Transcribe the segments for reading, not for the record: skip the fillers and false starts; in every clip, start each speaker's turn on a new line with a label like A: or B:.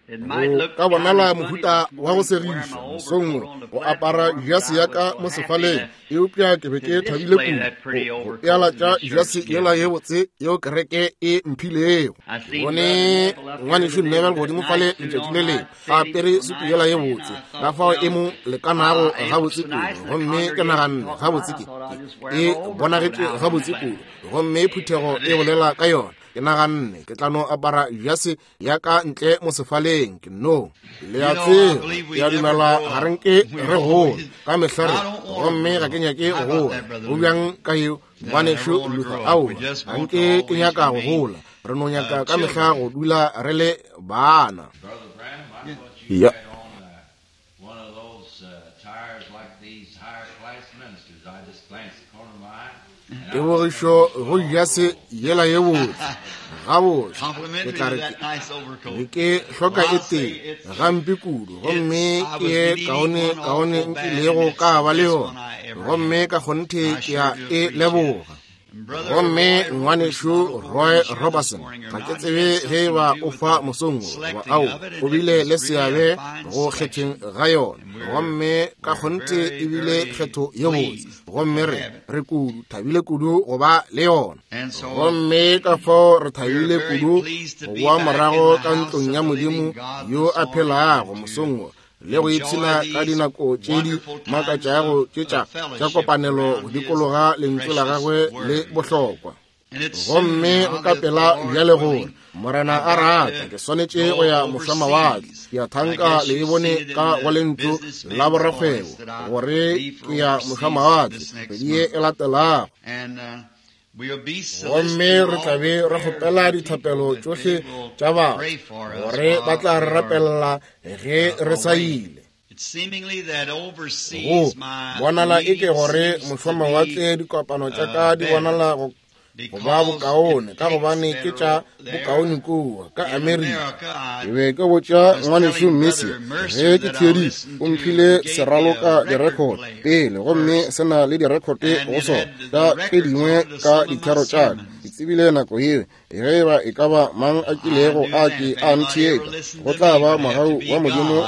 A: Go ka bonala mohuta wa go segiša mosong wo go apara jase ya ka mo sefaleng, eupša ke be ke thabile kudu go pealatša jase yela ye botse yeo kereke e mphilego. Ke bone ngwanešu Neville godimo fale letšatši le lengwe a apere sutu yela ye botse, ka fao e mo lekanago gabotse kudu, gomme ke naganne gabotse ke e bonagetše gabotse kudu, gomme phuthego e bolela ka yona. Ke naganne ke tla no apara jase ya ka ntle mo sefaleng. Ke no le a tseba, ke a dumela ga re nke re gola ka mehla re, gomme ga ke nyake go gola. Go bjang ka yeo, ngwanešu Luther? Aowa, ga nke ke nyaka go gola. Re no nyaka ka mehla go dula re le bana.
B: Ya.
A: Tebogišo go jase yela ye botse gabotse. Ke tla re ke ke hloka e tee gampe kudu, gomme ke ye kaone kaone nkilego ka ba le yona, gomme ka kgonthe ke a e leboga. Gomme ngwanešu Roy Roberson, ga ke tsebe ge e ba o fa mosong wo goba ao, o bile le seabe go kgetheng ga yona, gomme ka kgonthe e bile kgetho ye botse, gomme re, re kudu thabile kudu go ba le yona. Gomme ka fao re thabile kudu go boa morago ka ntlong ya Modimo yo a phelago mosong wo, le go ipshina ka dinako tše di makatšago tše tša tša kopanelo go dikologa lentšu la gagwe le bohlokwa. Gomme nka pela bjale gore Morena a rata ke swanetše go ya mošwamawatle. Ke a thanka le e bone ka go lentšu la borakgwebo gore ke ya mošwamawatle kgwedi ye e latelago. Gomme re tla be re kgopela dithapelo tšohle tša batho gore ba tla re rapelela ge re sa ile. Go bonala e ke gore mošwamawatle dikopano tša ka di bonala go ba bokaone ka gobane ke tša bokaone kua ka Amerika. Ke be ke botša ngwanešu Mercier ge ke theeditše, o mphile seraloka direkhote pele, gomme se na le direkhote go sona tša tše dingwe ka dithero tša ka. Ke tsebile nako yeo ge e ba e ka ba mang a kilego a ke a ntheetša, go tla ba mogau wa Modimo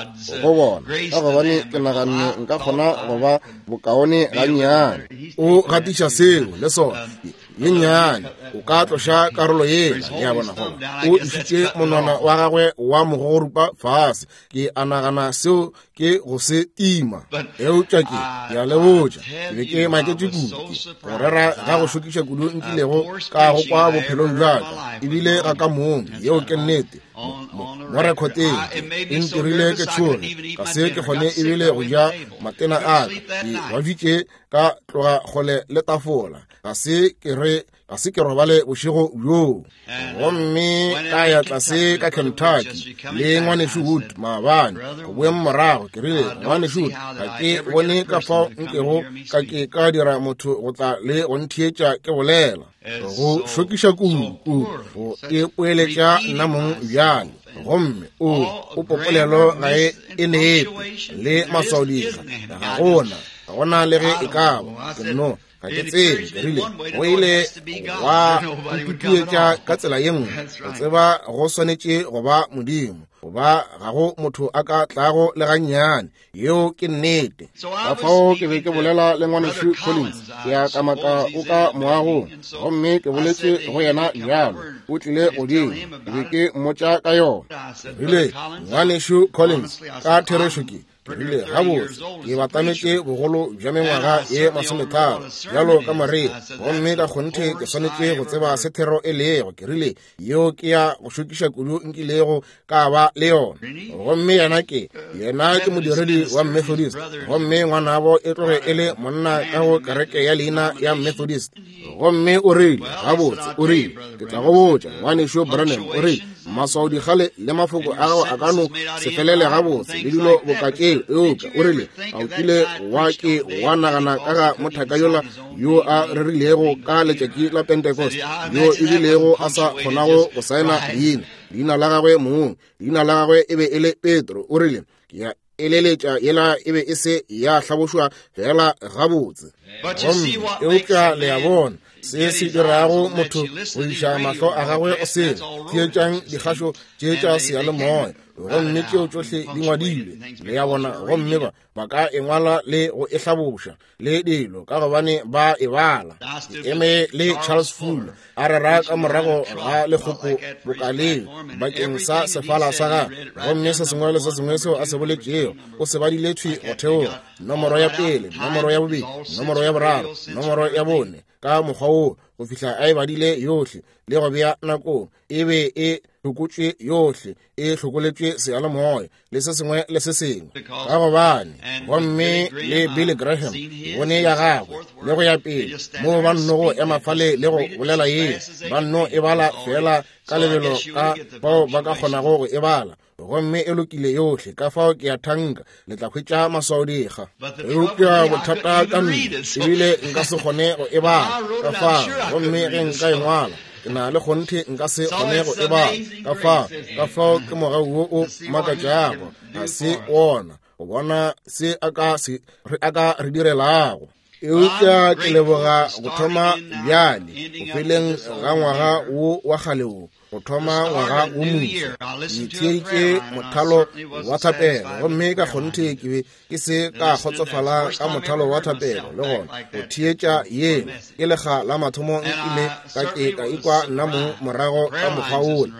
A: go bona, ka gobane ke naganne nka kgona go ba bokaone gannyane. O gatiša seo le sona ye nnyane, o ka tloša karolo yela, le a bona, goba o išitše monwana wa gagwe wa mogogorupa fase. Ke a nagana seo ke go se tima. Eupša ke, ke a le botša, ke be ke maketše kudu. Ke go rera ga go šokiša kudu nkilego ka go kwa bophelong bja ka, ebile ga ka mong. Yeo ke nnete. Mo rekhoteng e ntirile ke tšhoge, ga se ke kgone ebile go ja matena a ka. Ke babjitše ka tloga kgole le tafola, ga se ke re ga se ke robale bošego bjoo. Gomme ka ya tlase ka Kentucky le ngwanešu Wood maabane, go boeng morago, ke rile, Ngwanešu Wood, ga ke bone ka fao nkego ka ke ka dira motho go tla le go ntheetša ke bolela. Go šokiša kudu, kudu, go ipoeletša nna mong bjale. Gomme o, o popolelo ga e, e nepe, le maswaodikga ga gona, ga gona le ge e ka ba. Ke nno ga ke tsebe, ke rile, go ile gwa ntutuetša ka tsela ye nngwe go tseba go swanetše go ba Modimo, goba ga go motho a ka tlago le gannyane. Yeo ke nnete. Ka fao ke be ke bolela le ngwanešu Collins, ke a kamaka o ka moagong, gomme ke boletše go yena bjalo, o tlile godimo, ke be ke mmotša ka yona. Ke rile, Ngwanešu Collins, ka therešo ke, ke rile, gabotse, ke batametše bogolo bja mengwaga ye masometharo, bjalo ka Maria, gomme ka kgonthe ke swanetše go tseba se thero e lego. Ke rile, Yeo ke ya go šokiša kudu nkilego ka ba le yona. Gomme yena ke, yena ke modiredi wa Methodist, gomme ngwanabo e tloge e le monna ka go kereke ya leina ya Methodist. Gomme o rile, gabotse, o rile, ke tla go botša, ngwanešu Branham, o rile, maswaodikgale le mafoko a gago a ka no se felele gabotse le dilo boka tšeo, eupša o rile, a o kile wa ke wa nagana ka ga mothaka yola yo a rerilego ka letšatši la Pentecost, yo e bilego a sa kgonago go saena leina, leina la gagwe mong, leina la gagwe e be e le Petro, o rile, ke a eleletša yela e be e se ya hlabošwa fela gabotse. Gomme eupša le a bona se se dirago motho go iša mahlo a gagwe go sele, theetšang dikgašo tše tša seyalemoya. Gomme tšeo tšohle di ngwadilwe, le ya bona, gomme ba ka e ngwala le go e hlaboša le dilo, ka gobane ba e bala. Ke eme le Charles Fuller a rera ka morago ga lekgopo bokaleng bakeng sa sefala sa gagwe, gomme se sengwe le se sengwe seo a se boletšego o se badile thwi go theoga, nomoro ya pele, nomoro ya bobedi, nomoro ya boraro, nomoro ya bone, ka mokgwa woo go fihla a e badile yohle le go bea nakong. E be e hlokotšwe yohle, e hlokoletšwe seyalemoya le se sengwe le se sengwe, ka gobane gomme le Billy Graham bone ya gagwe le go ya pele, moo ba nno go ema fale le go bolela ye, ba nno e bala fela ka lebelo ka bao ba ka kgonago go e bala, gomme e lokile yohle. Ka fao ke a thanka le tla hwetša maswaodikga. Eupša bothata ka nna, ebile nka se kgone go e bala ka fao, gomme ge nka e ngwala, ke na le kgonthe nka se kgone go e bala ka fao. Ka fao ke mogau wo o makatšago, ga se wona go bona se a ka re direlago. Eupša ke leboga go thoma bjale, go feleng ga ngwaga wo wa kgale wo, go thoma ngwaga wo moswa. Ke theeditše mothalo wa thapelo, gomme ka kgonthe ke be ke se ka kgotsofala ka mothalo wa thapelo, le gona go theetša yeo ke lekga la mathomo nkile ka ke ka ikwa nna mong morago ka mokgwa wola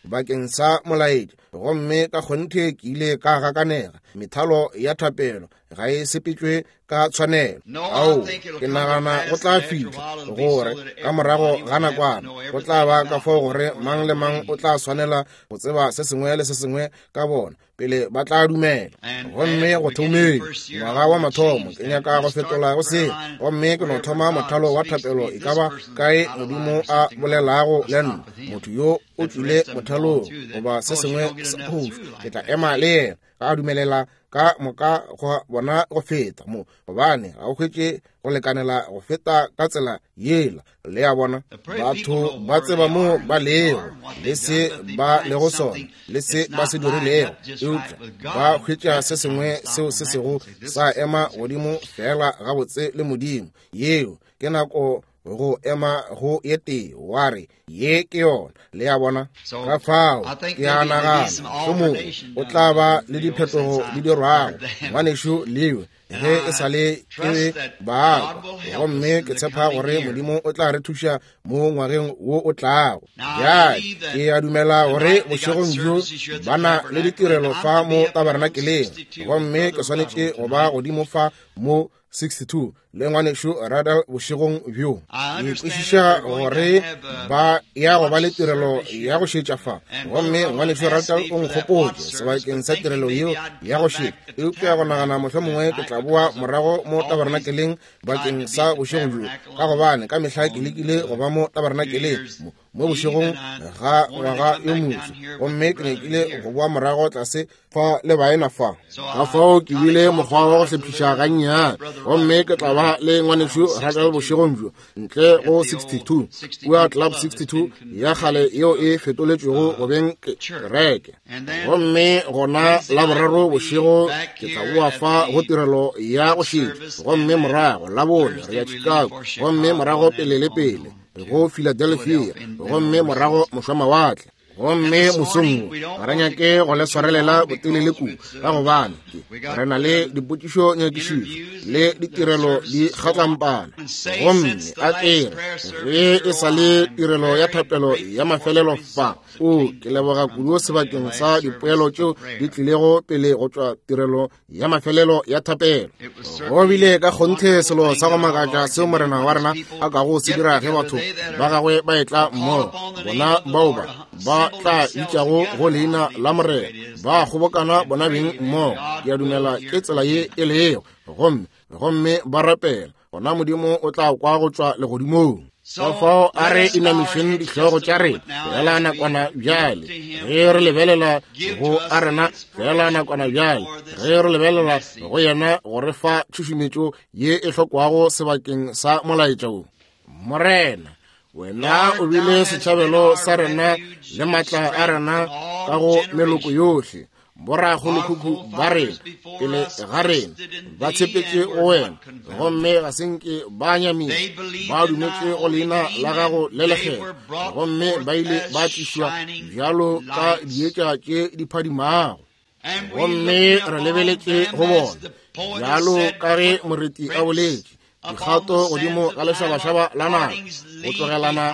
A: bakeng sa molaetša, gomme ka kgonthe ke ile ka gakanega. Methalo ya thapelo ga e sepetšwe ka tshwanelo. Ao, ke nagana go tla fihla gore ka morago ga nakwana go tla ba ka fao gore mang le mang o tla swanela go tseba se sengwe le se sengwe ka bona pele ba tla dumela. Gomme go thomeng ngwaga wa mathomo ke nyaka go fetola go se, gomme ke no thoma mothalo wa thapelo e ka ba kae Modimo a bolelago le nna. Motho yo o tšwile mothalong goba se sengwe sa phošo, ke tla ema le yena ka dumelela ka moka go bona go feta mo, gobane ga o hwetše go lekanela go feta ka tsela yela. Le a bona, batho ba tseba mo ba lego le se ba lego sona le se ba se dirilego, eupša ba hwetša se sengwe seo se sego sa ema godimo fela gabotse le Modimo. Yeo ke nako go ema go ye tee, wa re ye ke yona. Le a bona? Ka fao ke a nagana mohlomongwe o tla ba le diphetogo di dirwago, ngwanešu Lewe, ge e sa le ke baakwa, gomme ke tshepa gore Modimo o tla re thuša mo ngwageng wo o tlago. Bjale ke a dumela gore bošegong bjo ba na le ditirelo fa mo tabernakeleng, gomme ke swanetše go ba godimo fa mo 62 le ngwanešu Radal bošegong bjo. Ke kwešiša gore ba ya go ba le tirelo ya go šetša fa, gomme ngwanešu Radal o nkgopotše sebakeng sa tirelo yeo ya go šetša, eupša go nagana mohlomongwe ke tla boa morago mo tabernakeleng bakeng sa bošego bjo, ka gobane ka mehla ke lekile go ba mo tabernakeleng mo bošegong ga ngwaga yo moswa, gomme ke nyakile go boa morago tlase fa le baena fa. Ka fao ke bile mokgwa wa go hlephiša gannyane, gomme ke tla ba le ngwanešu Radal bošegong bjo ntle go 62 kua Club 62 ya kgale yeo e fetoletšwego go beng kereke. Gomme gona Laboraro bošego ke tla boa fa go tirelo ya go šetša, gomme morago Labone re ya Chicago, gomme morago pele le pele go Philadelphia, gomme morago mošwamawatle. Gomme mosong wo ga re nyake go le swarelela botelele kudu, ka gobane re na le dipotšišo nyakišišo le ditirelo di kgatlampana. Gomme a ke re ge e sa le tirelo ya thapelo ya mafelelo fa, o ke leboga kudu sebakeng sa dipoelo tšeo di tlilego pele go tšwa tirelo ya mafelelo ya thapelo. Go bile ka kgonthe selo sa go makatša seo Morena wa rena a kago se dira ge batho ba gagwe ba etla mmogo, bona bao ba tla bitšago go leina la Morena, ba kgobokana bona beng mmogo. Ke a dumela ke tsela ye e lego, gomme ba rapela, gona Modimo o tla kwa go tšwa legodimong. Ka fao a re inamišeng dihlogo tša rena fela nakwana bjale, ge re lebelela go a rena fela nakwana bjale, ge re lebelela go yena go re fa tšhušumetšo ye e hlokwago sebakeng sa molaetša wo. Morena, wena o bile setšhabelo sa rena le matla a rena ka go meloko yohle. Borakgolokhukhu ba rena pele ga rena ba tshepetše go wena, gomme ga se nke ba nyamišwa. Ba dumetše go leina la gago le lekgethwa, gomme ba ile ba tlišwa bjalo ka dietša tše di phadimago. Gomme re lebeletše go bona bjalo ka ge moreti a boletše, dikgato godimo ga lešabašaba la nako, go tlogelana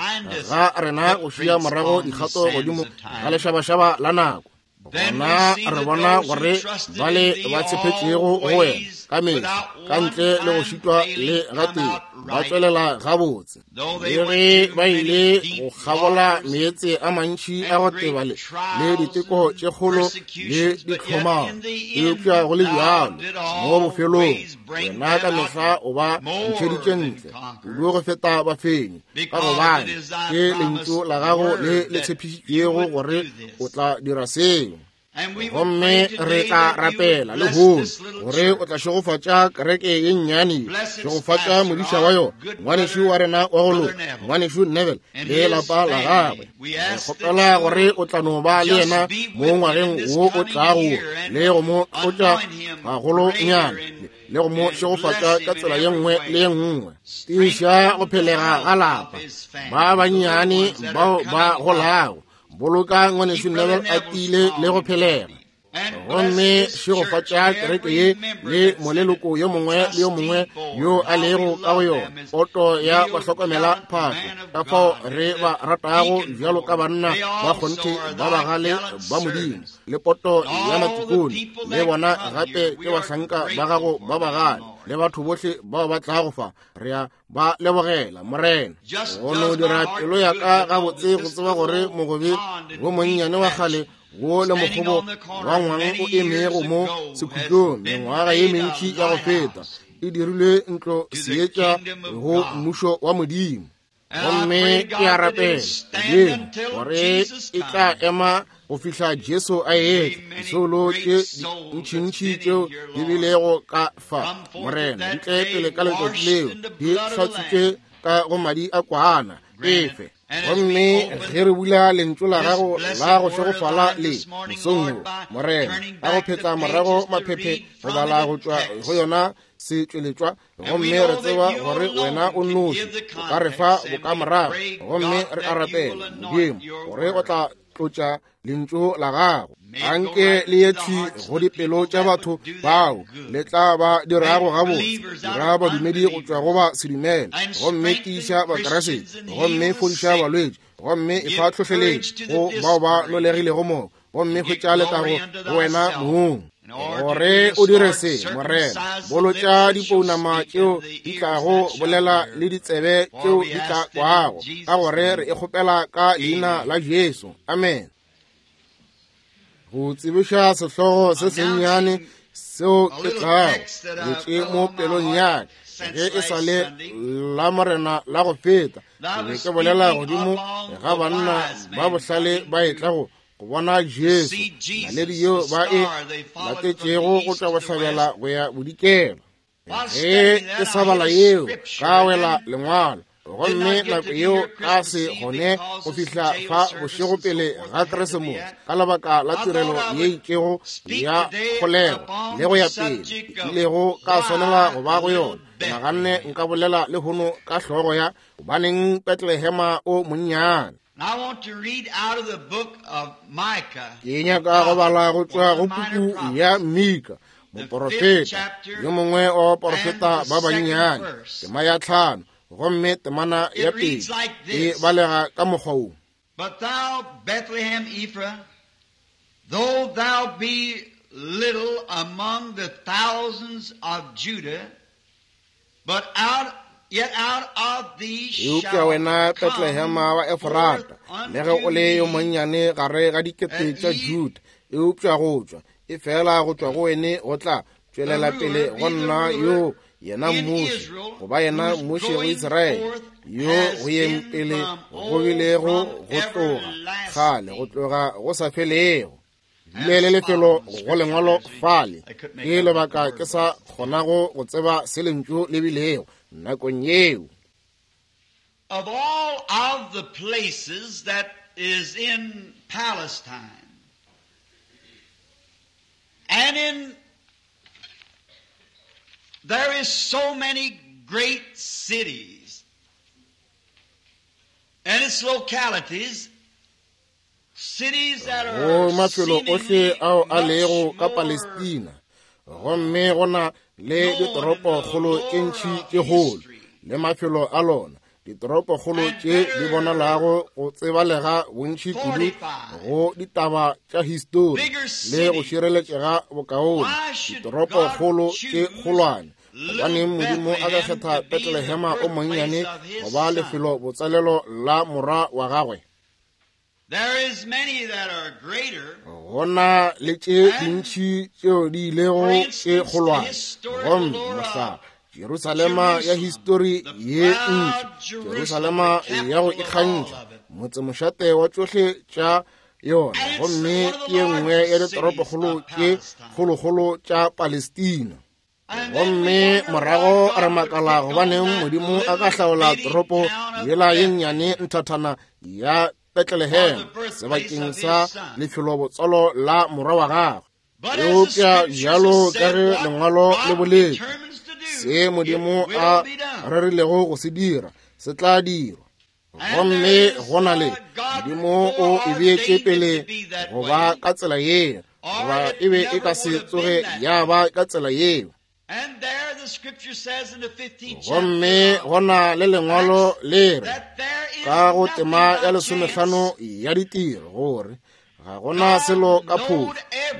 A: ga rena go šia morago dikgato godimo ga lešabašaba la nako. Gona re bona gore bale ba tshepetšego go wena ka mehla, ka ntle le go šitwa le gatee, ba tšwelela gabotse. Le ge ba ile go kgabola meetse a mantši a go teba le diteko tše kgolo le ditlhomamo, eupša go le bjalo mo bofelong wena ka mehla o ba ntšheditše ntle kudu go feta bafenyi, ka gobane ke lentšu la gago le le tshepišitšego gore o tla dira seo. Gomme re tla rapela lehono gore o tla šegofatša kereke ye nnyane, šegofatša modiša wa yona, ngwanešu wa rena wa go loka, ngwanešu Neville le lapa la gagwe. Re kgopela gore o tla no ba le yena mo ngwageng wo o tlago, le go mo tlotša gagolonyana, le go mo šegofatša ka tsela ye nngwe le ye nngwe. Tiiša go phelega ga lapa, ba bannyane bao ba golago, boloka ngwanešu Neville a tiile le go phelega. Gomme šegofatša kereke ye le moleloko yo mongwe le yo mongwe yo a lego ka go yona, poto ya bahlokomela phahlo, ka fao re ba ratago bjalo ka banna ba kgonthe ba bagale ba Modimo, le poto ya matikone, le bona gape ke bahlanka ba gago ba bagale, le batho bohle bao ba tlago fa. Re a ba lebogela, Morena. Go no dira pelo ya ka gabotse go tseba gore mogobe wo monnyane wa kgale wo le mokgobo wa ngwang o emego mo sekhutlong mengwaga ye mentši ya go feta e dirilwe ntlo seetša go mmušo wa Modimo. Gomme ke a rapela Modimo gore e tla ema go fihla Jesu a etla. Disoulo tše ntšintši tšeo di bilego ka fa, Morena, di tle pele ka letšatši leo, di hlatswitše ka go madi a kwana efe. Gomme ge re bula lentšu la gago la go šegofala le mosong wo, Morena, ka go phetla morago maphephe go bala go tšwa go yona setšweletšwa, gomme re tseba gore wena o nnoši o ka re fa bokamorago. Gomme re a rapela, Modimo, gore o tla tlotša lentšu la gago, anke le ye thwi go dipelo tša batho bao le tla ba dirago gabotse, dira badumedi go tšwa go ba sedumele, gomme tiiša Bakeresete, gomme fodiša balwetši, gomme e fa tlhohleletšo go bao ba nolegilego moo, gomme hwetša letago go wena mong. Gore o dire se, Morena, bolotša dipounama tšeo di tlago bolela le ditsebe tšeo di tla kwago, ka gore re e kgopela ka leina la Jesu. Amen. Go tsebiša sehlogo se sennyane seo ke tlago botše mo pelong ya ka ge e sa le la Morena la go feta, ke be ke bolela godimo ga banna ba bohlale ba etla go bona Jesu, naledi yeo ba e latetšego go tšwa bohlabela go ya bodikela. Ge ke sa bala yeo, ka wela lengwalo, gomme nako yeo ka se kgone go fihla fa bošego pele ga Keresemose ka lebaka la tirelo ye itšego ya kgolego le go ya pele ilego ka swanela go ba go yona. Naganne nka bolela lehono ka hlogo ya gobaneng Betlehema o monnyane. Ke nyaka go bala go tšwa go puku ya Mika, moporofeta yo mongwe wa baporofeta ba bannyane, tema ya 5, gomme temana ya 2 e balega ka mokgwa wo.
B: But thou, Bethlehem Ephrath, though thou be little among the thousands of Judah, but out yet out of thee
A: Eupša
B: shall
A: wena
B: come
A: Betlehema wa Efrata,
B: forth
A: le ge o le yo
B: unto me
A: monnyane gare ga dikete tša Juda, eupša go tšwa e fela go tšwa go wene go tla tšwelela pele go nna yo yena mmuši, goba yena mmuši go Israele, yo go yeng pele go bilego go tloga kgale, go tloga go sa felego. Bile le lefelo go lengwalo fale, ke lebaka ke sa kgonago go tseba se lentšu le bilego nakong yeo.
B: Of all of the places that is in Palestine, And in there is so many great cities and its localities, cities that are
A: Go mafelo ohle
B: seemingly
A: ao a
B: much
A: lego ka
B: more
A: Palestina, gomme go na le ditoropokgolo tše ntši tše kgolo le mafelo a lona, ditoropokgolo tše di bonalago go tsebalega bontši kudu go ditaba tša histori le go šireletšega bokaone, ditoropokgolo tše kgolwane. Gobaneng Modimo a ka kgetha Betlelehema o monnyane go ba lefelo botsalelo la morwa wa gagwe?
B: There is many that are greater.
A: Go na le tše dintši tšeo di ilego tše kgolwane, gomme mohlala, Jerusalema ya histori ye ntši, Jerusalema ya go ikgantšha, motsemošate wa tšohle tša yona, gomme ke ye nngwe ya ditoropokgolo tše kgolokgolo tša Palestina. Gomme morago re makala gobaneng Modimo a ka hlaola toropo yela ye nnyane nthathana ya Bethlehem sebakeng sa lefelobotswalo la morwa wa gagwe. Eupša bjalo ka ge lengwalo le boletše, se Modimo a rerilego go se dira se tla dirwa. Gomme go na le Modimo o e beetše pele go ba ka tsela yeo, goba e be e ka se tsoge ya ba ka tsela yeo.
B: And there the scripture says in the 15th
A: Gomme
B: chapter
A: go na le lengwalo le re
B: that there is
A: ka go
B: nothing
A: tema
B: by
A: ya
B: chance.
A: lesomehlano ya ditiro gore ga gona selo ka phošo.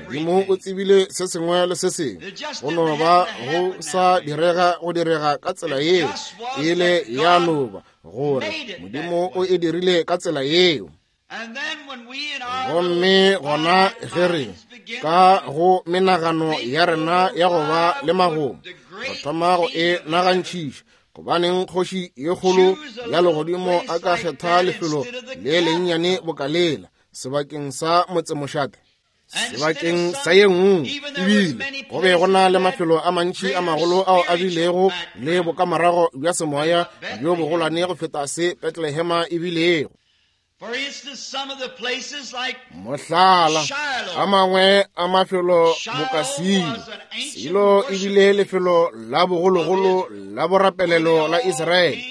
A: Modimo o tsebile se sengwe le se sengwe, go no ba go sa direga go direga ka tsela yeo, ile ya no ba gore Modimo o e dirile ka tsela yeo.
B: And then when we in our
A: Gomme gona ge re ka go menagano ya rena ya go ba le magomo, re thoma go e nagantšhiša, gobaneng kgoši ye kgolo ya legodimo a ka kgetha lefelo le lennyane bokalela sebakeng sa motsemošate, sebakeng sa ye nngwe? Ebile go be go na le mafelo a mantši a magolo ao a bilego le bokamorago bja semoya bjo bogolwane go feta se Betlehema e bilego.
B: For instance, some of the places like
A: Mohlala, a mangwe a mafelo boka Silo. Silo e bile lefelo la bogologolo la borapelelo la Israele,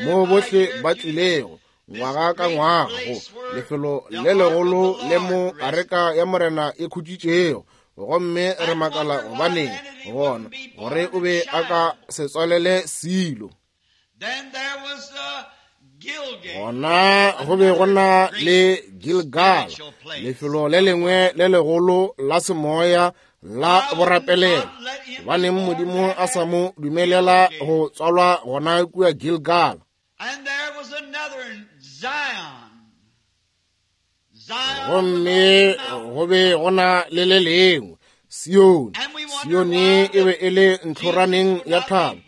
A: moo bohle ba tlilego ngwaga ka ngwaga go lefelo le legolo le mo areka ya Morena e khutšitšego. Gomme re makala gobaneng gona gore o be a ka se tswalele Silo.
B: Then there was Gilgal.
A: Gona go be go na le Gilgal, lefelo le lengwe le legolo la semoya la borapelelo. Gobaneng Modimo a sa mo dumelela go tswalwa gona kua Gilgal?
B: And there was another in Zion. Zion
A: Gomme
B: was on the mountain.
A: go be go na le le lengwe Sione. Sione e be e le ntlhoraneng ya thaba.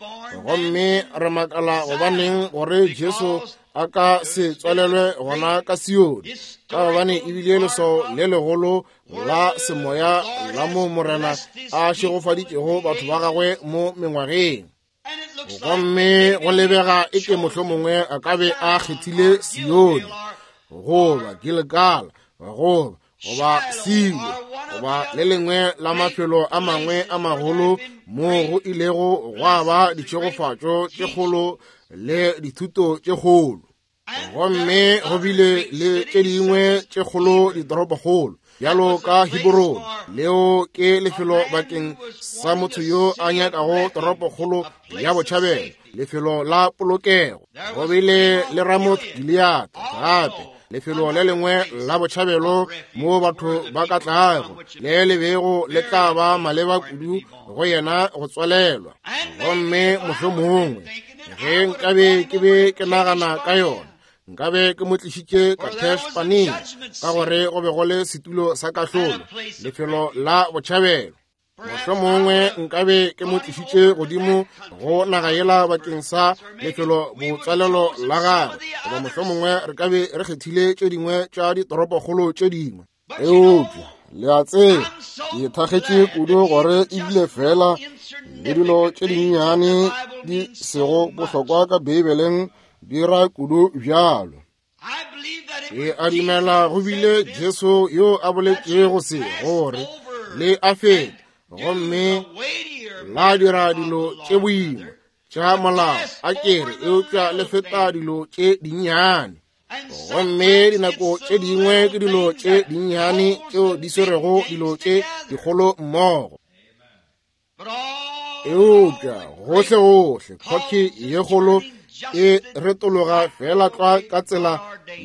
A: Gomme re makala gobaneng gore Jesu a ka se tswalelwe gona ka Sione, ka gobane e bile leswao le legolo la semoya la mo Morena a šegofaditšego batho ba gagwe mo mengwageng.
B: And it looks like
A: Gomme go lebega e ke mohlomongwe a ka be a kgethile Sione goba Gilgal goba Silo goba le lengwe la mafelo a mangwe a magolo mo go ilego gwa ba ditšhegofatšo tše kgolo le dithuto tše kgolo. Gomme go bile le tše dingwe tše kgolo ditoropokgolo bjalo ka Hebrone, leo ke lefelo bakeng sa motho yo a nyakago toropokgolo ya botšhabelo, lefelo la polokego. Go bile le Ramoth Gilead gape, lefelo le lengwe la botšhabelo mo batho ba ka tlago, le le bego le tla ba maleba kudu go yena go tswalelwa. Gomme mohlomongwe ge nkabe ke be ke nagana ka yona, nkabe ke mo tlišitše Kadesh Barnea, ka gore go be go le setulo sa kahlolo, lefelo la botšhabelo. Mohlomongwe nkabe ke mo tlišitše godimo go naga yela bakeng sa lefelo botswalelo la gagwe, goba mohlomongwe re ka be re kgethile tše dingwe tša ditoropokgolo tše dingwe. Eupša le a tseba, ke thakgetše kudu gore ebile fela le dilo tše dinnyane di sego bohlokwa ka Beibeleng di ra kudu bjalo.
B: I believe that it
A: Ke
B: was
A: a dumela go
B: Jesus
A: bile
B: that said
A: Jesu yo a boletšego se, gore Le a feta gomme la dira dilo tše boima tša molao, a kere, eupša le feta dilo tše dinnyane. Gomme dinako tše dingwe ke dilo tše dinnyane tšeo di swerego dilo tše dikgolo mmogo. Eupša gohlegohle khoki ye kgolo e retologa fela tlwa ka tsela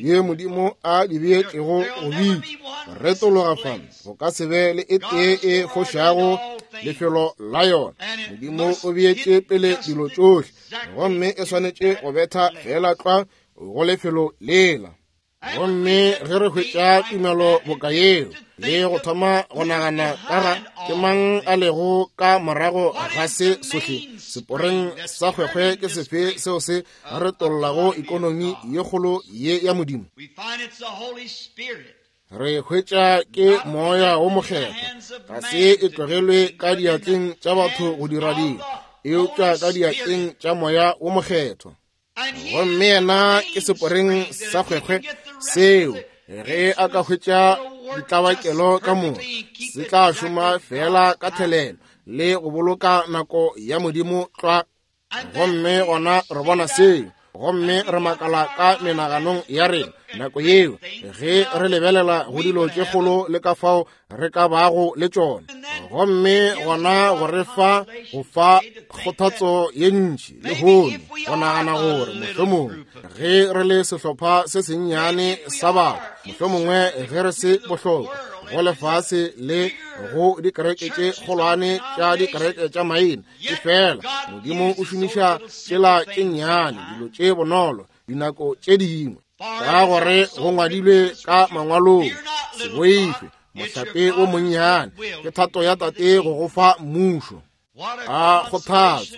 A: ye Modimo a di beetšego go bitša. Retologa fa, go ka se be le e tee e fošago lefelo la yona. Modimo o beetše pele dilo tšohle, gomme e swanetše go betha fela tlwa go lefelo lela. Gomme ge re hwetša tumelo boka yeo le go thoma go nagana ka ga ke mang a lego ka morago ga se sohle, seporeng sa kgwekgwe ke sefe seo se retollago ikonomi ye kgolo ye ya Modimo, re hwetša ke Moya wo Mokgethwa. Ga se e tlogelwe ka diatleng tša batho go dira dilo, eupša ka diatleng tša Moya wo Mokgethwa. Gomme yena ke seporeng sa kgwekgwe seo ge a ka hwetša ditlabakelo ka moka, se tla šoma fela ka thelelo le go boloka nako ya Modimo tlwa. Gomme gona re bona seo, gomme re makala ka menaganong ya rena nako yeo ge re lebelela go dilo tše kgolo le ka fao re ka bago le tšona. Gomme gona go re fa go fa kgothatso ye ntši lehono go nagana gore mohlomongwe ge re le sehlopha se sennyane sa batho, mohlomongwe ge re se bohlokwa go lefase le go dikereke tše kgolwane tša dikereke tša maina, ke fela Modimo o šomiša tšela tše nnyane, dilo tše bonolo dinako tše dingwe, ka gore go ngwadilwe ka mangwalong, se boife mohlape o monnyane, ke thato ya Tate go go fa mmušo. A kgothatso,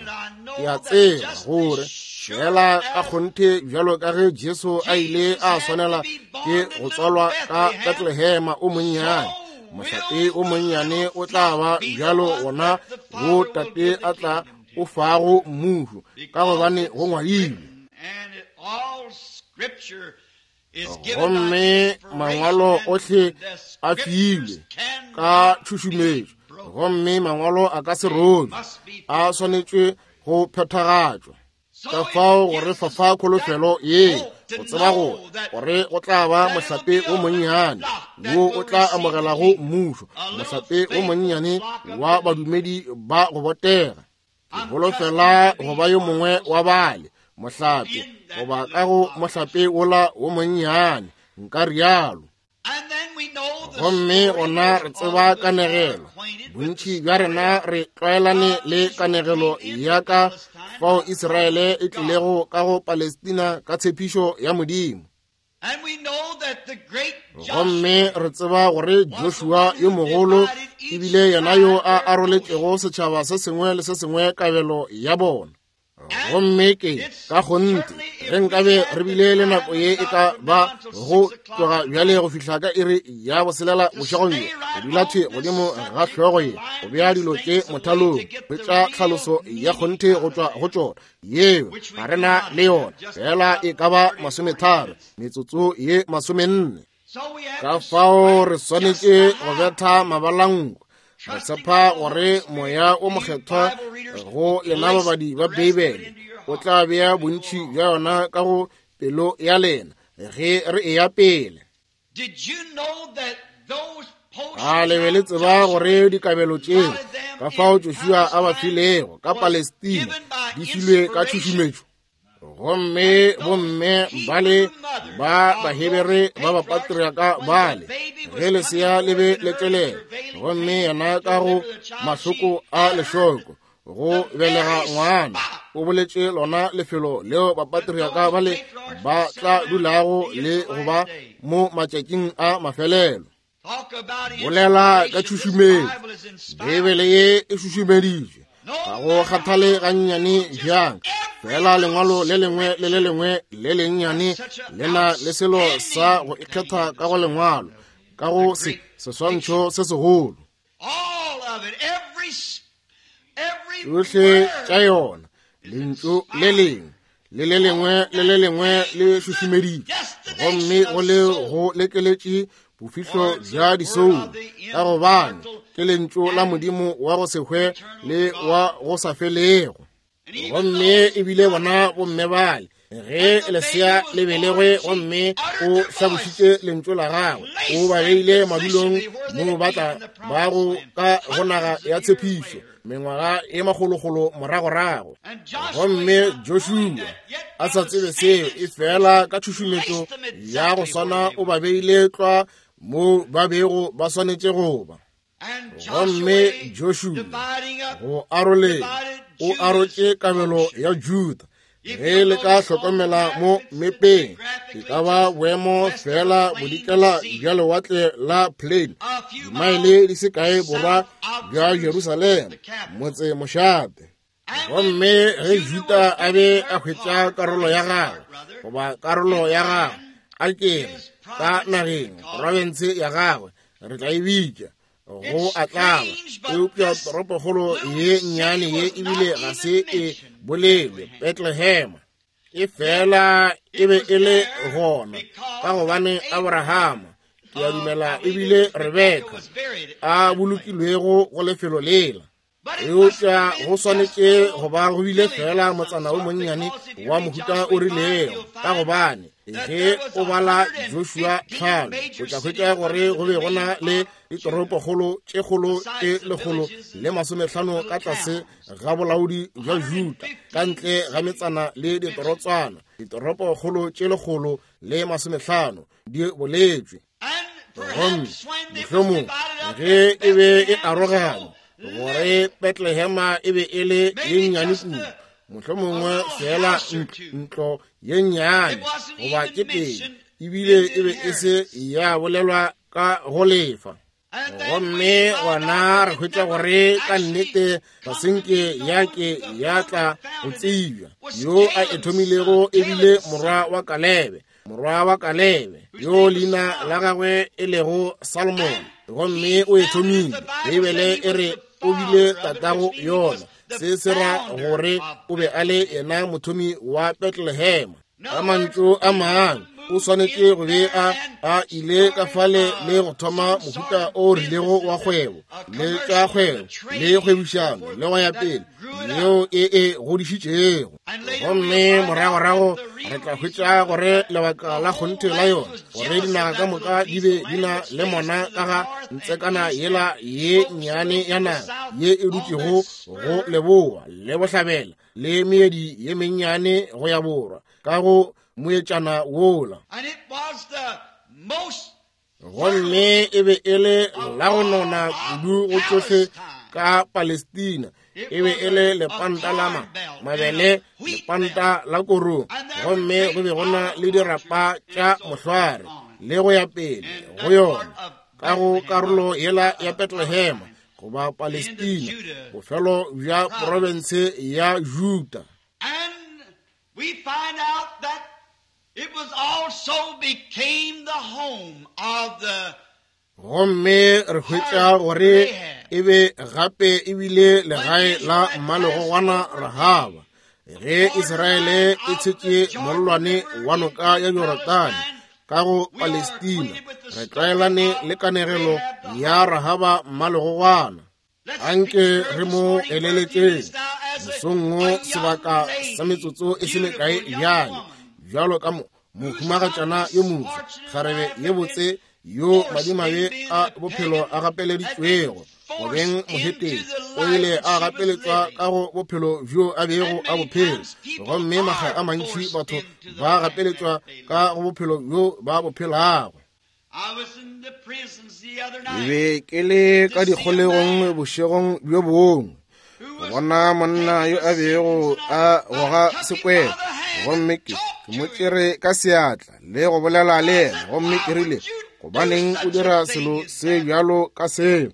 A: ke a tseba gore fela ka kgonthe bjalo ka ge Jesu a ile a swanela ke go tswalwa ka Bethlehema o monnyane, mohlape o monnyane o tla ba bjalo wona wo Tate a tla o fago mmušo, ka gobane go ngwadilwe. Gomme mangwalo ohle a filwe ka tšhušumetšo, gomme mangwalo a ka se robje, a swanetšwe go phethagatšwa. Ka fao go re fafa kholofelo ye, go tseba gore gore go tla ba mohlape o monnyane wo o tla amogelago mmušo, mohlape o monnyane wa badumedi ba go botega. Ke holofela go ba yo mongwe wa bale mohlape, goba ka go mohlape wola wo monnyane, nka rialo. Gomme gona re tseba kanegelo, bontši bja rena re tlwaelane le kanegelo ya ka fao Israele e tlilego ka go Palestina ka tshepišo ya Modimo. Gomme re tseba gore Joshua yo mogolo ebile yena yo a aroletšego setšhaba se sengwe le se sengwe kabelo ya bona. Gomme ke ka kgonthe ge nkabe re bile le nako ye e ka ba go tloga bjale go fihla ka iri ya boselela bošego bjo, go dula thwe godimo ga hlogo ye, go bea dilo tše mothalong, hwetša tlhaloso ya kgonthe go tšwa go tšona, yeo ga re na le yona, fela e ka ba 30, metsotso ye 40. Ka fao re swanetše go betha mabalanko, re tshepa gore Moya o Mokgethwa go lena babadi ba Beibele o tla bea bontši bja yona ka go pelo ya lena ge re eya pele. A le be le tseba gore dikabelo tšeo ka fao Joshua a ba filego ka Palestina di filwe ka tšhušumetšo? Gomme bomme bale ba Bahebere ba bapatriaka bale, ge lesea le be le tšwelela, gomme yena ka go mahloko a lešoko go belega ngwana, o boletše lona lefelo leo bapatriaka bale ba tla dulago le go ba mo matšatšing a mafelelo. Bolela ka tšhušumetšo, Beibele ye e šušumeditšwe, ga go kgathale gannyane bjang, fela lengwalo le lengwe le le lengwe le lennyane le na le selo sa go ikgetha ka go lengwalo, ka go se seswantšho se segolo. Tšohle tša yona, lentšu le lengwe le le lengwe le le lengwe le šušumeditšwe, gomme go le go lekeletše bofihlo bja disoulo, ka gobane Ke lentšu la Modimo wa go se hwe le wa go sa felego. Gomme ebile bona bomme bale, ge lesea le belegwe gomme o hlabošitše lentšu la gagwe, o ba beile madulong mo ba tla bago ka go naga ya tshepišo mengwaga e makgolokgolo moragorago. Gomme Joshua a sa tsebe seo, e fela ka tšhušumetšo ya go swana o ba beile tlwa mo ba bego ba swanetše go ba. Gomme Joshua go aroleng o arotše kabelo ya Juda. Ge le ka hlokomela mo mepeng, e ka ba boemo fela bodikela bja lewatle la Plain, dimaele di se kae borwa bja Jerusalema, motse mošate. Gomme ge Juda a be a hwetša karolo ya gagwe, goba karolo ya gagwe, a ke re, ka nageng, profense ya gagwe, re tla e bitša, go a tlaba, eupša toropokgolo ye nnyane ye ebile ga se e bolelwe, Bethlehem, e fela e be e le gona ka gobane Abrahama, ke a dumela ebile Rebeka, a bolokilwego go lefelo lela. Eupša go swanetše go ba go bile fela motsana o monnyane wa mohuta o rilego, ka gobane ge o bala Joshua 5 o tla hwetša gore go be go na le ditoropokgolo tše kgolo tše 150 ka tlase ga bolaodi bja Juda, ka ntle ga metsana le ditorotswana. Ditoropokgolo tše 150 di boletšwe. Gomme mohlomong ge e be e aroganywa gore Bethlehema e be e le ye nnyane kudu, mohlomongwe fela ntlo ye nnyane goba tše pedi, ebile e be e se ya bolelwa ka go lefa. Gomme gona re hwetša gore ka nnete ga senke ya ke ya tla go tsebja. Yo a e thomilego ebile morwa wa Kalebe, morwa wa Kalebe, yo leina la gagwe e lego Salomon, gomme o e thomile. Beibele e re o bile tatago yona. Se se ra gore o be a le yena mothomi wa Bethlehem. Ka mantšu a mangwe, o swanetše go be a ile ka fale le go thoma mohuta o rilego wa kgwebo, le tša kgwebo, le kgwebišano, le go ya pele, yeo e e godišitšego. Gomme moragorago re tla hwetša gore lebaka la kgonthe la yona, gore dinaga ka moka di be di na le mona ka ga ntsekana yela ye nnyane ya naga ye e dutšego go leboa le bohlabela, le meedi ye mennyane go ya borwa, ka go moetšana wola. Gomme e be e le la go nona kudu go tšohle ka Palestina. E be e le lepanta la mabele, lepanta la korong, gomme go be go na le dirapa tša mohlware le go ya pele go yona, ka go karolo yela ya Bethlehem goba Palestina, bofelo bja profense ya Juda.
B: And we find out that it was also became the home of the
A: Gomme re hwetša gore e be gape e bile legae la mmalegogwana Rahaba, ge Israele e tshetše mollwane wa noka ya Jorodane ka go Palestina. Re tlwaelane le kanegelo ya Rahaba mmalegogwana. Anke re mo eleletšeng mosong wo sebaka sa metsotso e se mekae bjale, bjalo ka mohumagatšana yo moswa, kgarebe ye botse yo madimabe a bophelo a gapeleditšwego go beng moheteng, o ile a gapeletšwa ka go bophelo bjo a bego a bophelo. Gomme makga a mantši batho ba gapeletšwa ka go bophelo bjo ba bo phelago. Ke be ke le ka dikgolegong bošegong bjo bongwe, go bona monna yo a bego a goga sekwele, gomme ke mo tšere ka seatla le go bolela le yena, gomme ke rile, gobaneng o dira selo se bjalo ka seo?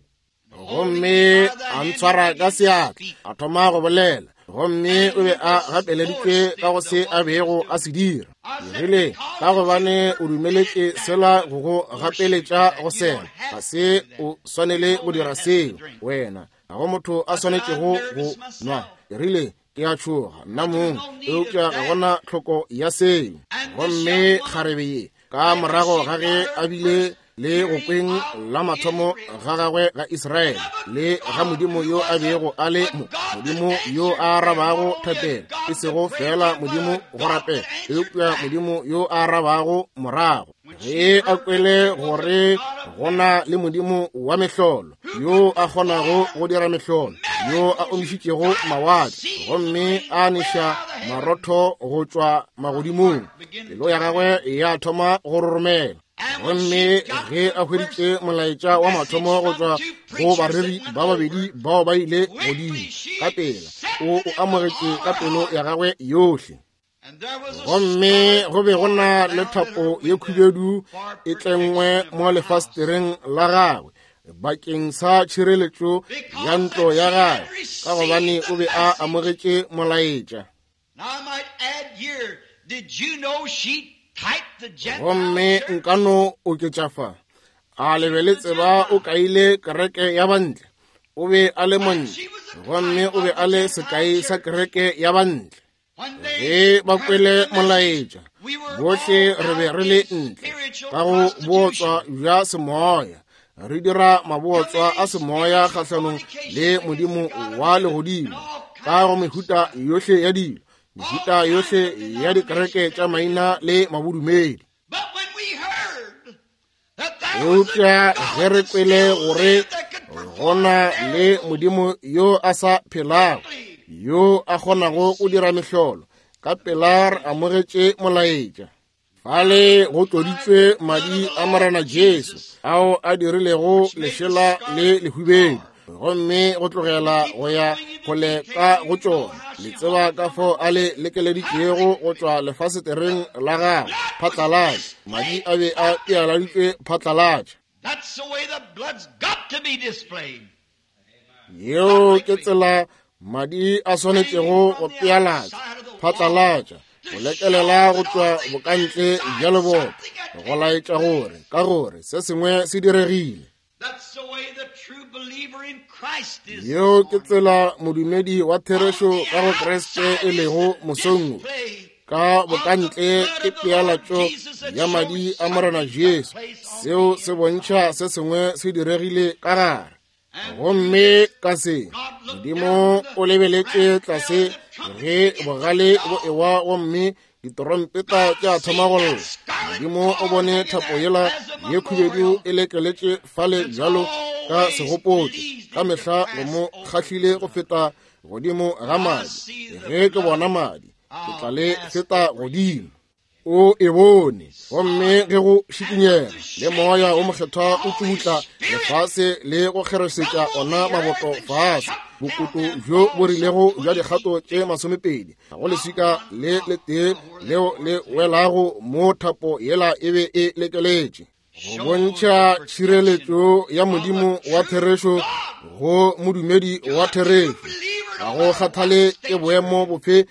A: Gomme a ntshwara ka seatla, a thoma go bolela, gomme o be a gapeleditšwe ka go se a bego a se dira. Ke rile, ka gobane o dumeletše sela go go gapeletša go sela, ga se o swanele go dira seo, wena. Ga go motho a swanetšego go nwa. Ke rile, ke a tšhoga nna mong, eupša ga gona tlhoko ya seo. Gomme kgarebe ye, ka morago ga ge a bile le go kweng la mathomo ga gagwe ga Israele le ga Modimo yo a bego a le mo, Modimo yo a arabago thapelo, e sego feela Modimo go rapela, eupša Modimo yo a arabago morago. Ge a kwele gore go na le Modimo wa mehlolo yo a kgonago go dira mehlolo, yo a omišitšego mawatle gomme a neša marotho go tšwa magodimong, pelo ya gagwe ya thoma go roromela. Gomme ge a hweditše molaetša wa mathomo go tšwa go bareri ba babedi bao ba ile godimo, ka pela o o amogetše ka pelo ya gagwe yohle. Gomme go be go na le thapo ye khubedu e tlengwe mo lefastereng la gagwe bakeng sa tšhireletšo ya ntlo ya gagwe, ka gobane o be a amogetše molaetša. Gomme nka no oketša fa, a le be le tseba o kaile kereke ya bantle? O be a le montle, gomme o be a le sekai sa kereke ya bantle. Ge ba kwele molaetša, bohle re be re le ntle ka go bootswa bja semoya, re dira mabootswa a semoya kgahlanong le Modimo wa legodimo ka go mehuta yohle ya dilo, mehuta yohle ya dikereke tša maina le mabodumedi. Eupša ge re kwele gore go na le Modimo yo a sa phelago, yo a kgonago go dira mehlolo, ka pela re amogetše molaetša. Fale go tloditšwe madi a Morena Jesu ao a dirilego lešela le lehubedu, gomme go tlogela go ya kgole ka go tšona. Le tseba ka fao a le lekeleditšego go tšwa lefasetereng la gagwe phatlalatša. Madi a be a pealaditšwe phatlalatša. Yeo ke tsela madi a swanetšego go pealatša phatlalatša, go lekelela go tšwa bokantle bja leboto, go laetša gore ka gore se sengwe se diregile. Yeo ke tsela modumedi wa therešo ka go Kriste e lego mosong wo. Ka bokantle ke pealatšo ya madi a Morena Jesu. Seo se bontšha se sengwe se diregile ka gare. Gomme ka se, Modimo o lebeletše tlase ge bogale bo ewa gomme ditorompeta tša thoma go lla. Modimo o bone thapo yela ye khubedu e lekeletše fale bjalo ka segopotšo, ka mehla go mo kgahlile go feta godimo ga madi. Ge ke bona madi, ke tla le feta godimo. O e bone, gomme ge go šikinyega le moya o mokgethwa o tšubutla lefase le go kgeresetša ona maboto fase, bokoto bjo bo rilego bja dikgato tše 20 go leswika le letee leo le welago mo thapo yela e be e lekeletše, go bontšha tšhireletšo ya Modimo wa therešo go modumedi wa therešo. Ga go kgathale ke boemo bofe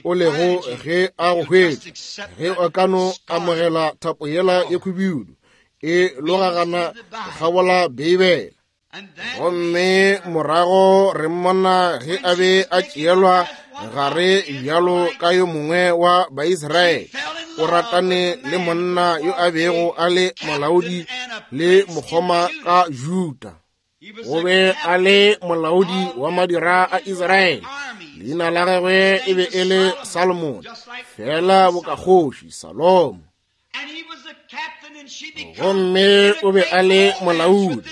A: o lego ge a go hwetša, ge o ka no amogela thapo yela ye khubidu e logagana go kgabola Beibele. Gomme morago re mmona ge a be a tšeelwa gare bjalo ka yo mongwe wa Baisraele, o ratane le monna yo a bego a le molaodi le mokgoma ka Juda. O be a le molaodi wa madira a Israele. Leina la gagwe e be e le Salomone, fela bokakgoši Salomo. Gomme o be a le molaodi,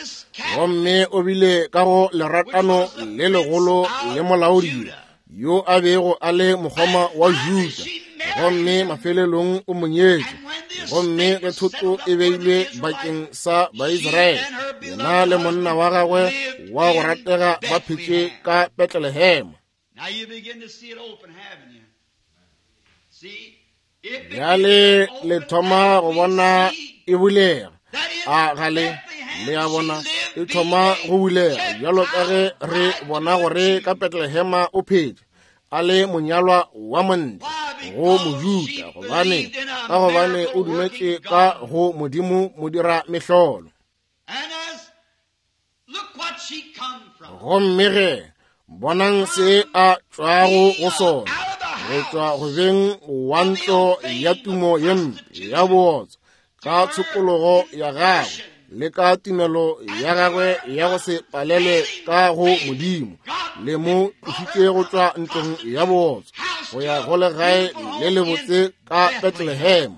A: gomme o bile ka go leratano le legolo le molaodi yo a bego a le mokgoma wa Juda, gomme mafelelong o mo nyetše. Gomme ge thoto e beilwe bakeng sa Baisraele, yena le monna wa gagwe wa go ratega ba phetše ka Betlelehema. Bjale le thoma go bona e bulega. A ga le? Le a bona e thoma go bulega, bjalo ka ge re bona gore ka Betlelehema o phetše a le monyalwa wa montle go Mojuda, gobane ka gobane o dumetše ka go Modimo modira mehlolo. Gomme ge bonang se a tšwago go sona, go tšwa go beng wa ntlo ya tumo ye mpe ya bootswa ka tshokologo ya gagwe Le ka tumelo ya gagwe ya go se palelwe ka go Modimo, le mo tlošitše go tšwa ntlong ya bootswa go ya go legae le lebotse ka Bethlehem.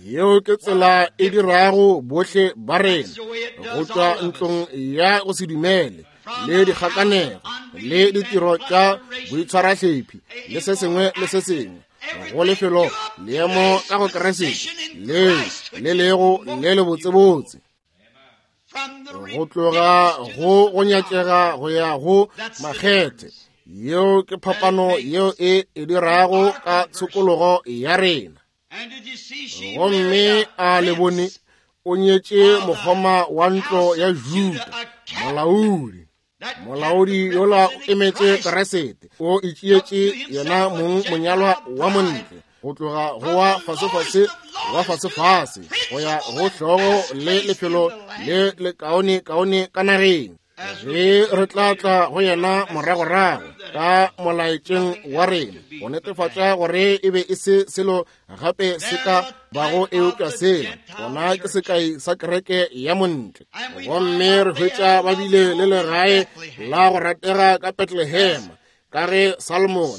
A: Yeo ke tsela e dirago bohle ba rena go tšwa ntlong ya go se dumele le dikgakanego le ditiro tša boitshwarahlephi le se sengwe le se sengwe go lefelo leemo ka go Keresete leo le lego le lebotsebotse, go tloga go go nyatšega go ya go makgethe. Yeo ke phapano yeo e e dirago ka tshokologo ya rena. Gomme a le bone o nyetše mokgoma wa ntlo ya Juda, molaodi. Molaodi yola o emetše Keresete, o itšeetše yena mong monyalwa wa montle, go tloga go wa fasefase wa fasefase go ya go hlogo le lefelo le lekaonekaone ka nageng. Ge re tla tla go yena moragorago ka molaetšeng wa rena go netefatša gore e be e se selo gape se ka bago eupša sela, gona ke sekai sa kereke ya montle. Gomme re hwetša ba bile le legae la go ratega ka Bethlehem, ka ge Salomon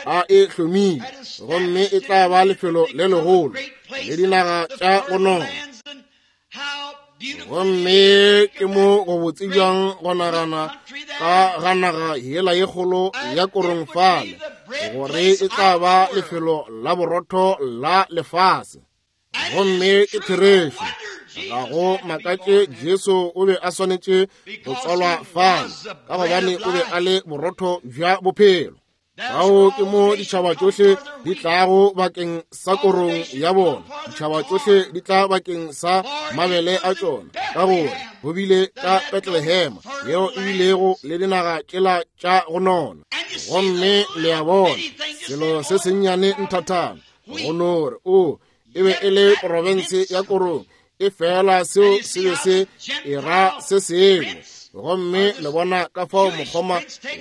A: a e hlomile, gomme e tla ba lefelo le legolo le dinaga tša go nona. Gomme ke mo go botse bjang go nagana ka ga naga yela ye kgolo ya korong fale, gore e tla ba lefelo la borotho la lefase. Gomme ke therešo, ga go makatše Jesu o be a swanetše go tswalwa fale, ka gobane o be a le borotho bja bophelo. Bao ke mo ditšhaba tšohle di tlago bakeng sa korong ya bona, ditšhaba tšohle di tla bakeng sa mabele a tšona, ka gore go bile ka Bethlehem yeo e bilego le dinaga tšela tša go nona. Gomme le a bona selo se sennyane nthathana go no re o e be e le profense ya korong, e fela seo se be se e ra se sengwe. Gomme le bona ka fao mokgoma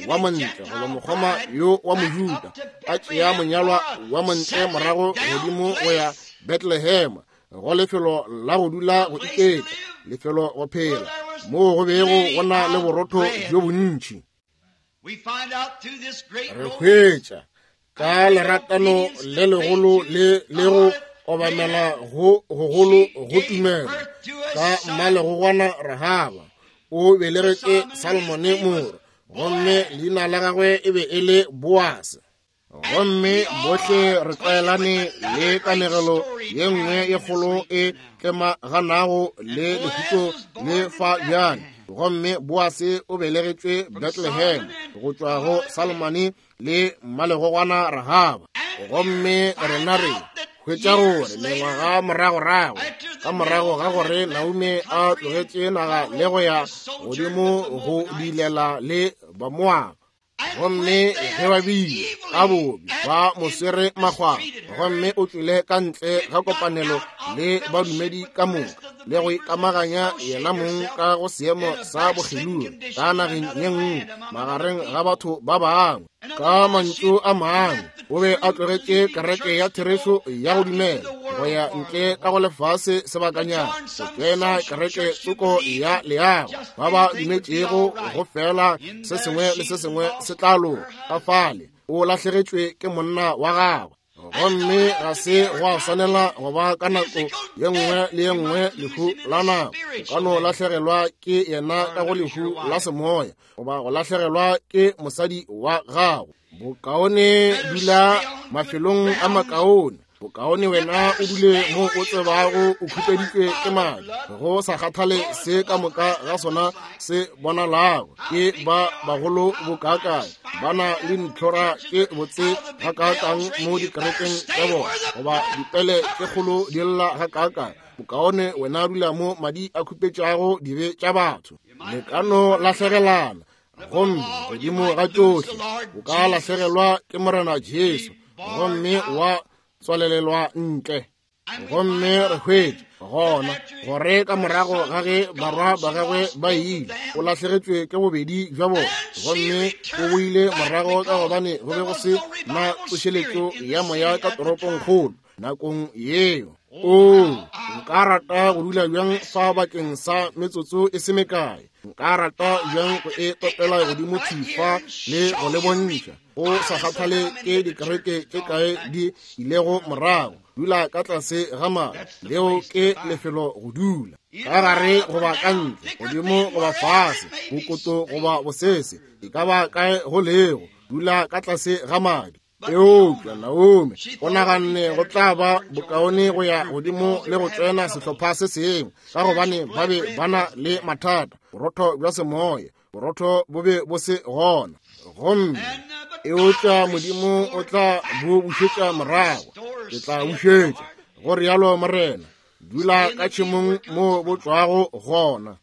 A: wa montle goba mokgoma yo wa Mojuda a tšea monyalwa wa montle morago godimo go ya Bethlehem, go lefelo la go dula go iketla, lefelo go phela moo go bego go na le borotho bjo bontši. Re hwetša ka leratano le legolo le le go obamela go gogolo go tumelo ka mmalegogwana Rahaba o belegetše Salmone morwa, gomme leina la gagwe e be e le Boase. Gomme bohle re tlwaelane le kanegelo ye nngwe ye kgolo e tlemaganago le lehuto le fa bjale. Gomme Boase o belegetšwe Bethlehem go tšwa go Salmone le mmalegogwana Rahaba. Gomme rena re hwetša gore mengwaga moragorago, ka morago ga gore Naomi a tlogetše naga le go ya godimo go dilela le Bamoaba, gomme ge ba bile ka bobi ba mo swere makgwakgwa, gomme o tšwele ka ntle ga kopanelo le badumedi ka moka le go ikamaganya yena mong ka go seemo sa bokgelogi ka nageng ye nngwe magareng ga batho ba bangwe. Ka mantšu a mangwe, o be a tlogetše kereke ya therešo ya go dumela go ya ntle ka go lefase sebakanyana go tsena kereke tsoko ya leago, ba ba dumetšego go fela se sengwe le se sengwe se tla loka. Ka fale o lahlegetšwe ke monna wa gagwe, gomme ga se gwa swanela go ba ka nako ye nngwe le ye nngwe lehu la nako. O ka no lahlegelwa ke yena ka go lehu la semoya, goba go lahlegelwa ke mosadi wa gago. Bokaone dula mafelong a makaone, bokaone wena o dule mo o tsebago o khupeditšwe ke madi, go sa kgathale se ka moka ga sona se bonalago ke ba bagolo bokaakae, ba na le ditlhora tše botse gakaakang mo dikerekeng tša bona, goba dipele tše kgolo di lla gakaakae. Bokaone wena dula mo madi a khupetšago dibe tša batho. Le ka no lahlegelana, gomme godimo ga tšohle o ka lahlegelwa ke Morena Jesu, gomme wa tswalelelwa ntle. Gomme re hwetše gona gore ka morago ga ge barwa ba gagwe ba ile, o lahlegetšwe ke bobedi bja bona, gomme o boile morago ka gobane go be go se na tsošeletšo ya moya ka toropongkgolo nakong yeo. Oo, nka rata go dula bjang fa bakeng sa metsotso e se mekae. Nka rata bjang go e topela godimo thwi fa le go le bontšha, go sa kgathale ke dikereke tše kae di ilego morago. Dula ka tlase ga madi, leo ke lefelo go dula. Ka gare goba ka ntle, godimo goba fase, bokoto goba bosese, e ka ba kae go lego, dula ka tlase ga madi. Eupša Naomi o naganne go tla ba bokaone go ya godimo le go tsena sehlopha se sengwe, ka gobane ba be ba na le mathata, borotho bja semoya, borotho bo be bo se gona. Gomme eupša Modimo o tla bo bušetša morago. Ke tla bušetša, go rialo Morena. Dula ka tšhemong moo bo tšwago gona.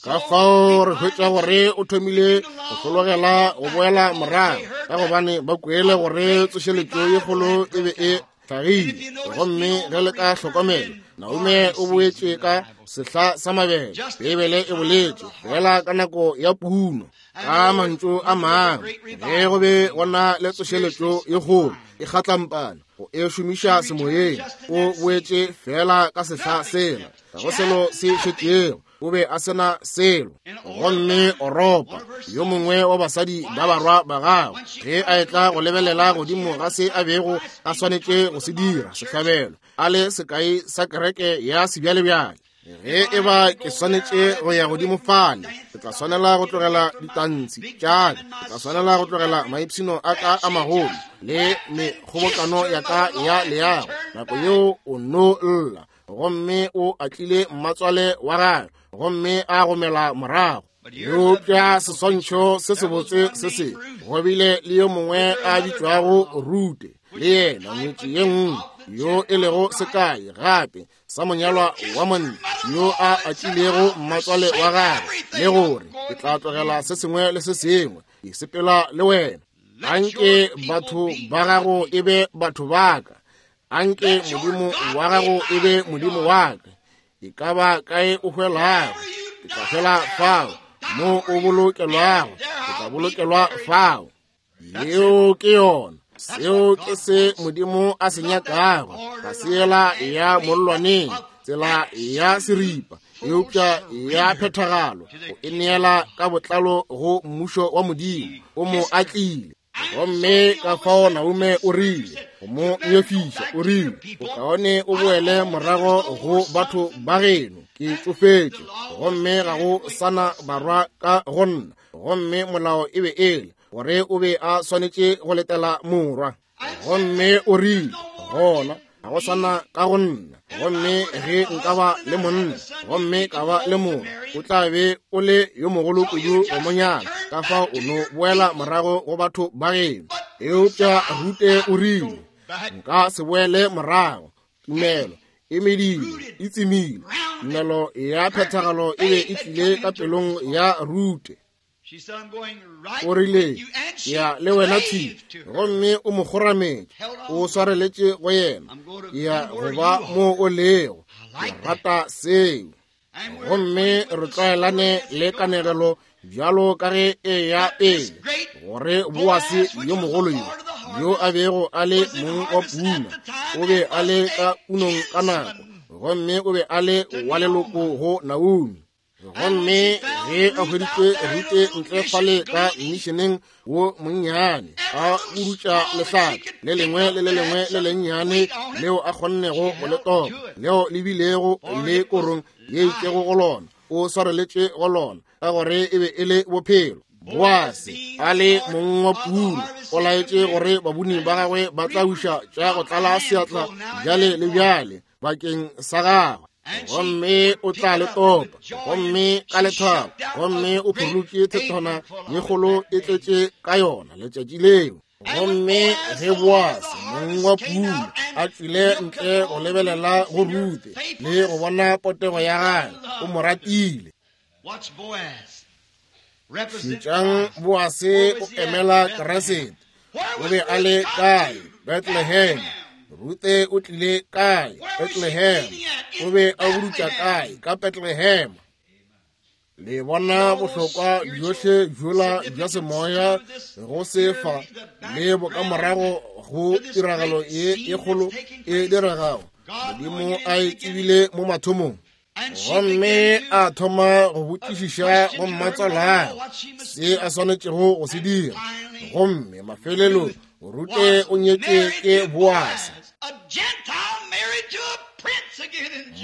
A: Ka fao re hwetša gore o thomile go hlologela go boela morago, ka gobane ba kwele gore tsošeletšo ye kgolo e be e hlagile. Gomme ge le ka hlokomela, Naomi o boetše ka sehla sa mabele. Beibele e boletše fela ka nako ya puno. Ka mantšu a mangwe, ge go be go na le tsošeletšo ye kgolo e kgatlampana go e šomiša semoyeng, o boetše fela ka sehla sela, ga go selo se šetšego. O be a se na selo. Gomme Oropa, yo mongwe wa basadi ba barwa ba gagwe, ge a etla go lebelela godimo ga se a bego a swanetše go se dira, sehlabelo, a le sekai sa kereke ya sebjalebjale. Ge e ba ke swanetše go ya godimo fale, ke tla swanela go tlogela ditantshi tša ka, ke tla swanela go tlogela maipshino a ka a magolo le mekgobokano ya ka ya leago. Nako yeo o no lla, gomme o atlile mmatswale wa gagwe gomme a gomela morago. Eupša seswantšho se sebotse se se go bile le yo mongwe a bitšwago Rute, le yena ngwetši ye nngwe yo e lego sekai gape sa monyalwa wa monna yo a atlilego mmatswale wa gagwe, le gore ke tla tlogela se sengwe le se sengwe ke sepela le wena. Anke batho ba gago e be batho ba ka, anke Modimo wa gago e be Modimo wa ka. E ka ba kae o hwelago, ke tla hwela fao, mo o bolokelwago, ke tla bolokelwa fao. Yeo ke yona. Seo ke se Modimo a se nyakago, ga se yela ya mollwaneng, tsela ya seripa, eupša ya phethagalo, go e neela ka botlalo go mmušo wa Modimo. O mo atlile. Gomme ka fao Naomi o rile go mo nyefiša, o rile, bokaone o boele morago go batho ba geno, ke tšofetše, gomme ga go sana barwa ka go nna. Gomme molao e be e le gore o be a swanetše go letela morwa. Gomme o rile, gona ga go sana ka go nna, gomme ge nka ba le monna gomme ka ba le morwa, o tla be o le yo mogolo kudu go monyana, ka fao o no boela morago go batho ba geno. Eupša Rute o rile, nka se boele morago. Tumelo e medile, e tsemile. Tumelo ya phethagalo e be e tlile ka pelong ya Rute. O rile, ya le wena thwi, gomme o mo kgorametše, o swareletše go yena, ya go ba mo o lego. Ke rata seo. Gomme re tlwaelane le kanegelo bjalo ka ge e ya pele, gore Boase yo mogolo yo, yo a bego a le mong wa puna, o be a le ka punong ka nako, gomme o be a le wa leloko go Naomi. Gomme ge a hweditše Rute ntle fale ka mmišeneng wo monnyane, a budutša lehlaka le lengwe le le lengwe le lennyane leo a kgonnego go le topa, leo le bilego le korong ye itšego go lona, o swareletše go lona, ka gore e be e le bophelo. Boase a le mong wa puno, o laetše gore babuni ba gagwe ba tla buša tša go tlala seatla bjale le bjale bakeng sa gagwe. Gomme o tla le topa, gomme ka lethabo, gomme o phurutše thethwana ye kgolo e tletše ka yona letšatši leo. Gomme ge Boase mong wa puno a tšwile ntle go lebelela go Rute le go bona potego ya gagwe, o mo ratile. Šetšang Boase o emela Keresete. O be a le kae? Bethlehem. Rute o tlile kae? Bethlehem. O be a budutša kae? Ka Bethlehem. Le bona bohlokwa bjohle bjola bja semoya go sefa le bokamorago go tiragalo ye e kgolo e diregago. Modimo a e tsebile mo mathomong. Gomme a thoma go botšišiša go mmatswalagwe se a swanetšego go se dira. Gomme mafelelong Rute o nyetšwe ke Boase.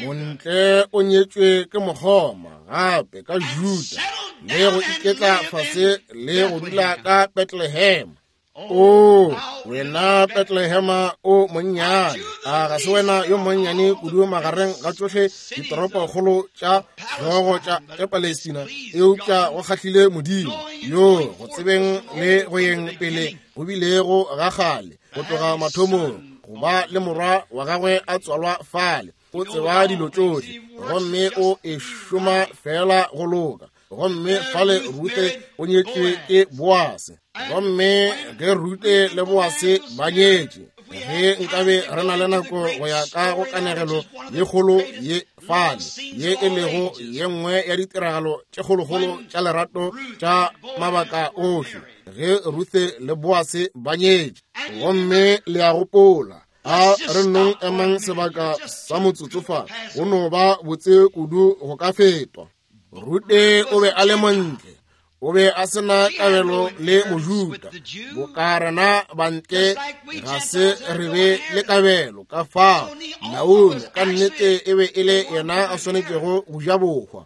A: Montle o nyetšwe ke mokgoma gape ka Juda le go iketla fase le go dula ka Bethlehem. O wena Bethlehema o monnyane, a ga se wena yo monnyane kudu magareng ga tšohle ditoropokgolo tša hlogo tša Palestina, eupša go kgahlile Modimo yo go tsebeng le go yeng pele go bilego ga kgale go tloga mathomong go ba le morwa wa gagwe a tswalwa fale. O tseba dilo tšohle gomme o e šoma fela go loka. Gomme fale Rute o nyetšwe ke Boase. Gomme ge Rute le Boase ba nyetše, ge nkabe re na le nako go ya ka go kanegelo ye kgolo ye fale, ye e lego ye nngwe ya ditiragalo tše kgolokgolo tša lerato tša mabaka ohle, ge Ruthe le Boase ba nyetše. Gomme le a gopola, a re nong emang sebaka sa motsotso fa, go no ba botse kudu go ka fetwa. Rute o be a le montle, o be a se na kabelo le Mojuda. Boka rena bantle ga se re be le kabelo, ka fao Naomi ka nnete e be e le yena a swanetšego go ja bohwa.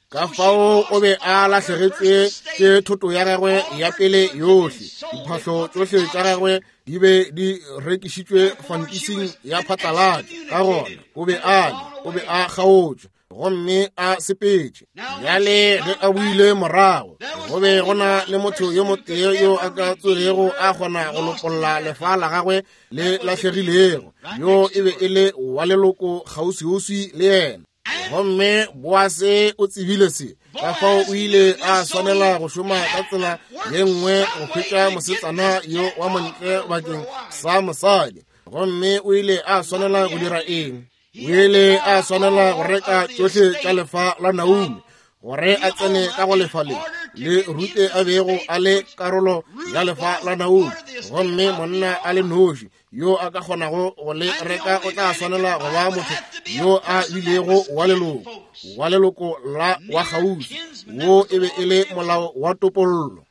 A: Ka fao o be a lahlegetšwe ke thoto ya gagwe ya pele yohle. Diphahlo tšohle tša gagwe di be di rekišitšwe fantising ya phatlalatša. Ka gona o be a le, o be a kgaotšwe gomme a sepetše. Bjale ge a boile morago, go be go na le motho yo motee yo a ka tsogego a kgona go lopolla lefa la gagwe le lahlegilego, yo e be e le wa leloko kgauswiuswi le yena. Gomme Boase o tsebile se, ka fao o ile a swanela go šoma ka tsela ye nngwe go hwetša mosetsana yo wa montle bakeng sa mosadi. Gomme o ile a swanela go dira eng? O ile a swanela go reka tšohle tša lefa la Naomi gore a tsene ka go lefa le le Rute a bego a le karolo ya lefa la Naomi. Gomme monna a le noši yo a ka kgonago go le reka o tla swanela go ba motho yo a bilego wa leloko, wa leloko la wa kgauswi. Wo e be e le molao wa topollo.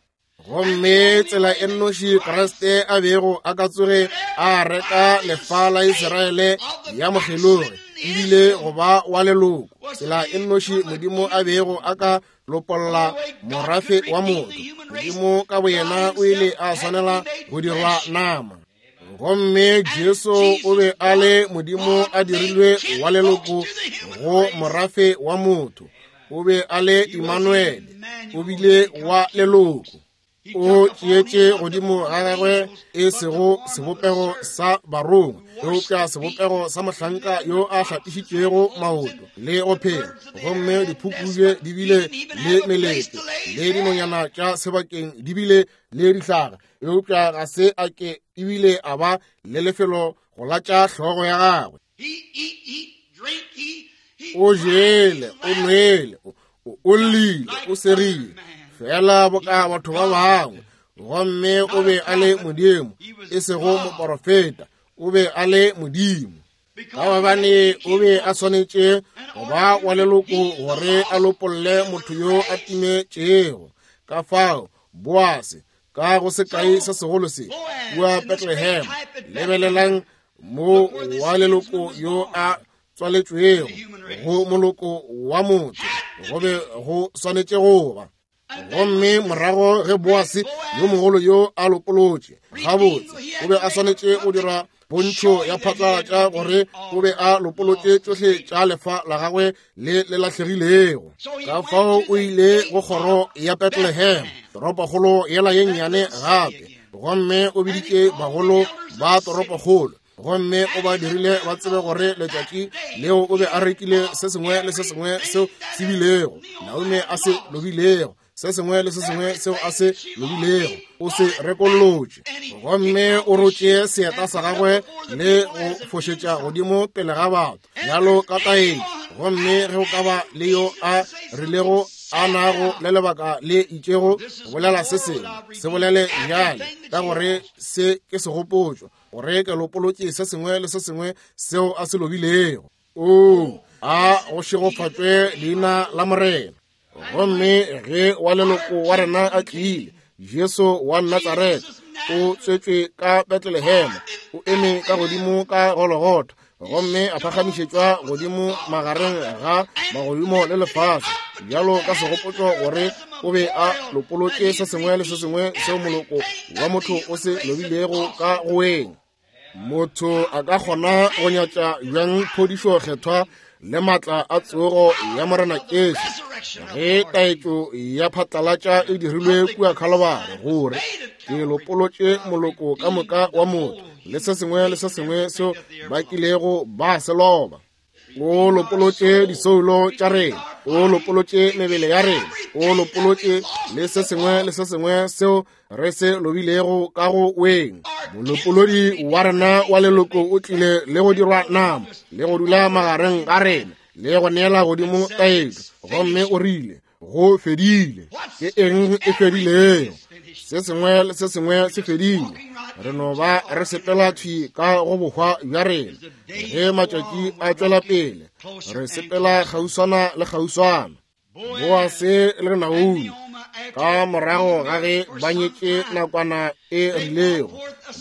A: Gomme tsela e nnoši Kriste a bego a ka tsoge a reka lefa la Israele ya mokgelogi ebile go ba wa leloko. Tsela e nnoši Modimo a bego a ka lopolla morafe wa motho, Modimo ka boyena o ile a swanela go dirwa nama. Gomme Jesu o be a le Modimo a dirilwe wa leloko go morafe wa motho. O be a le Immanuele, o bile wa leloko. O tšeetše godimo ga gagwe e sego sebopego sa barongwa, eupša sebopego sa mohlanka yo a hlapišitšwego maoto le go phela. Gomme diphukubje di bile le melete, le dinonyana tša sebakeng di bile le dihlaga, eupša ga se a ke ebile a ba le lefelo go latša hlogo ya gagwe. O jele, o nwele, o llile, o segile, fela boka batho ba bangwe. Gomme o be a le Modimo, e sego moporofeta, o be a le Modimo. Ka gobane o be a swanetše go ba wa leloko gore a lopolle motho yo a timetšego. Ka fao Boase ka go sekai se segolo se kua Bethlehem, lebelelang mo wa leloko yo a tswaletšwego go moloko wa motho, go be go swanetše go ba. Gomme morago ge Boase yo mogolo yo a lopolotše gabotse, o be a swanetše go dira pontšho ya phatlalatša gore o be a lopolotše tšohle tša lefa la gagwe le le lahlegilego. Ka fao o ile go kgoro ya Bethlehem, toropokgolo yela ye nnyane gape, gomme o biditše bagolo ba toropokgolo, gomme o ba dirile ba tsebe gore letšatši leo o be a rekile se sengwe le se sengwe seo se bilego Naomi a se lobilego, se sengwe le se sengwe seo a se lobilego o se rekollotše. Gomme o rotše seeta sa gagwe le go fošetša godimo pele ga batho bjalo ka taetšo. Gomme ge o ka ba le yo a rilego a nago le lebaka le itšego go bolela se sengwe, se bolele bjale, ka gore se ke segopotšo, gore ke lopolotše se sengwe le se sengwe seo a se lobilego. O a go šegofatšwe leina la Morena. Gomme ge wa leloko wa rena a tlile, Jesu wa Natsaretha, o tswetšwe ka Bethlehem, o eme ka godimo ka Golgotha, gomme a phagamišetšwa godimo magareng ga magodimo le lefase, bjalo ka segopotšo gore o be a lopolotše se sengwe le se sengwe seo moloko wa motho o se lobilego ka go weng. Motho a ka kgona go nyatša bjang phodišo kgethwa le maatla a tsogo ya Morena Jesu ge taetšo ya phatlalatša e dirilwe kua Khalobare gore ke lopolotše moloko ka moka wa motho le se sengwe le se sengwe seo ba kilego ba se loba. O lopolotše disoulo tša rena, o lopolotše mebele ya rena, o lopolotše le se sengwe le se sengwe seo re se lobilego ka go weng. Molopolodi wa rena wa leloko o tlile le go dirwa nama le go dula magareng ga rena le go neela godimo taetšo, gomme o rile, Go fedile. Ke eng e fedilego? Se sengwe le se sengwe se fedile. Re no ba re sepela thwi ka go bohwa bja rena. Ge matšatši a tšwela pele, re sepela kgauswana le kgauswana. Boase le Naomi, ka morago ga ge ba nyetše nakwana e rilego,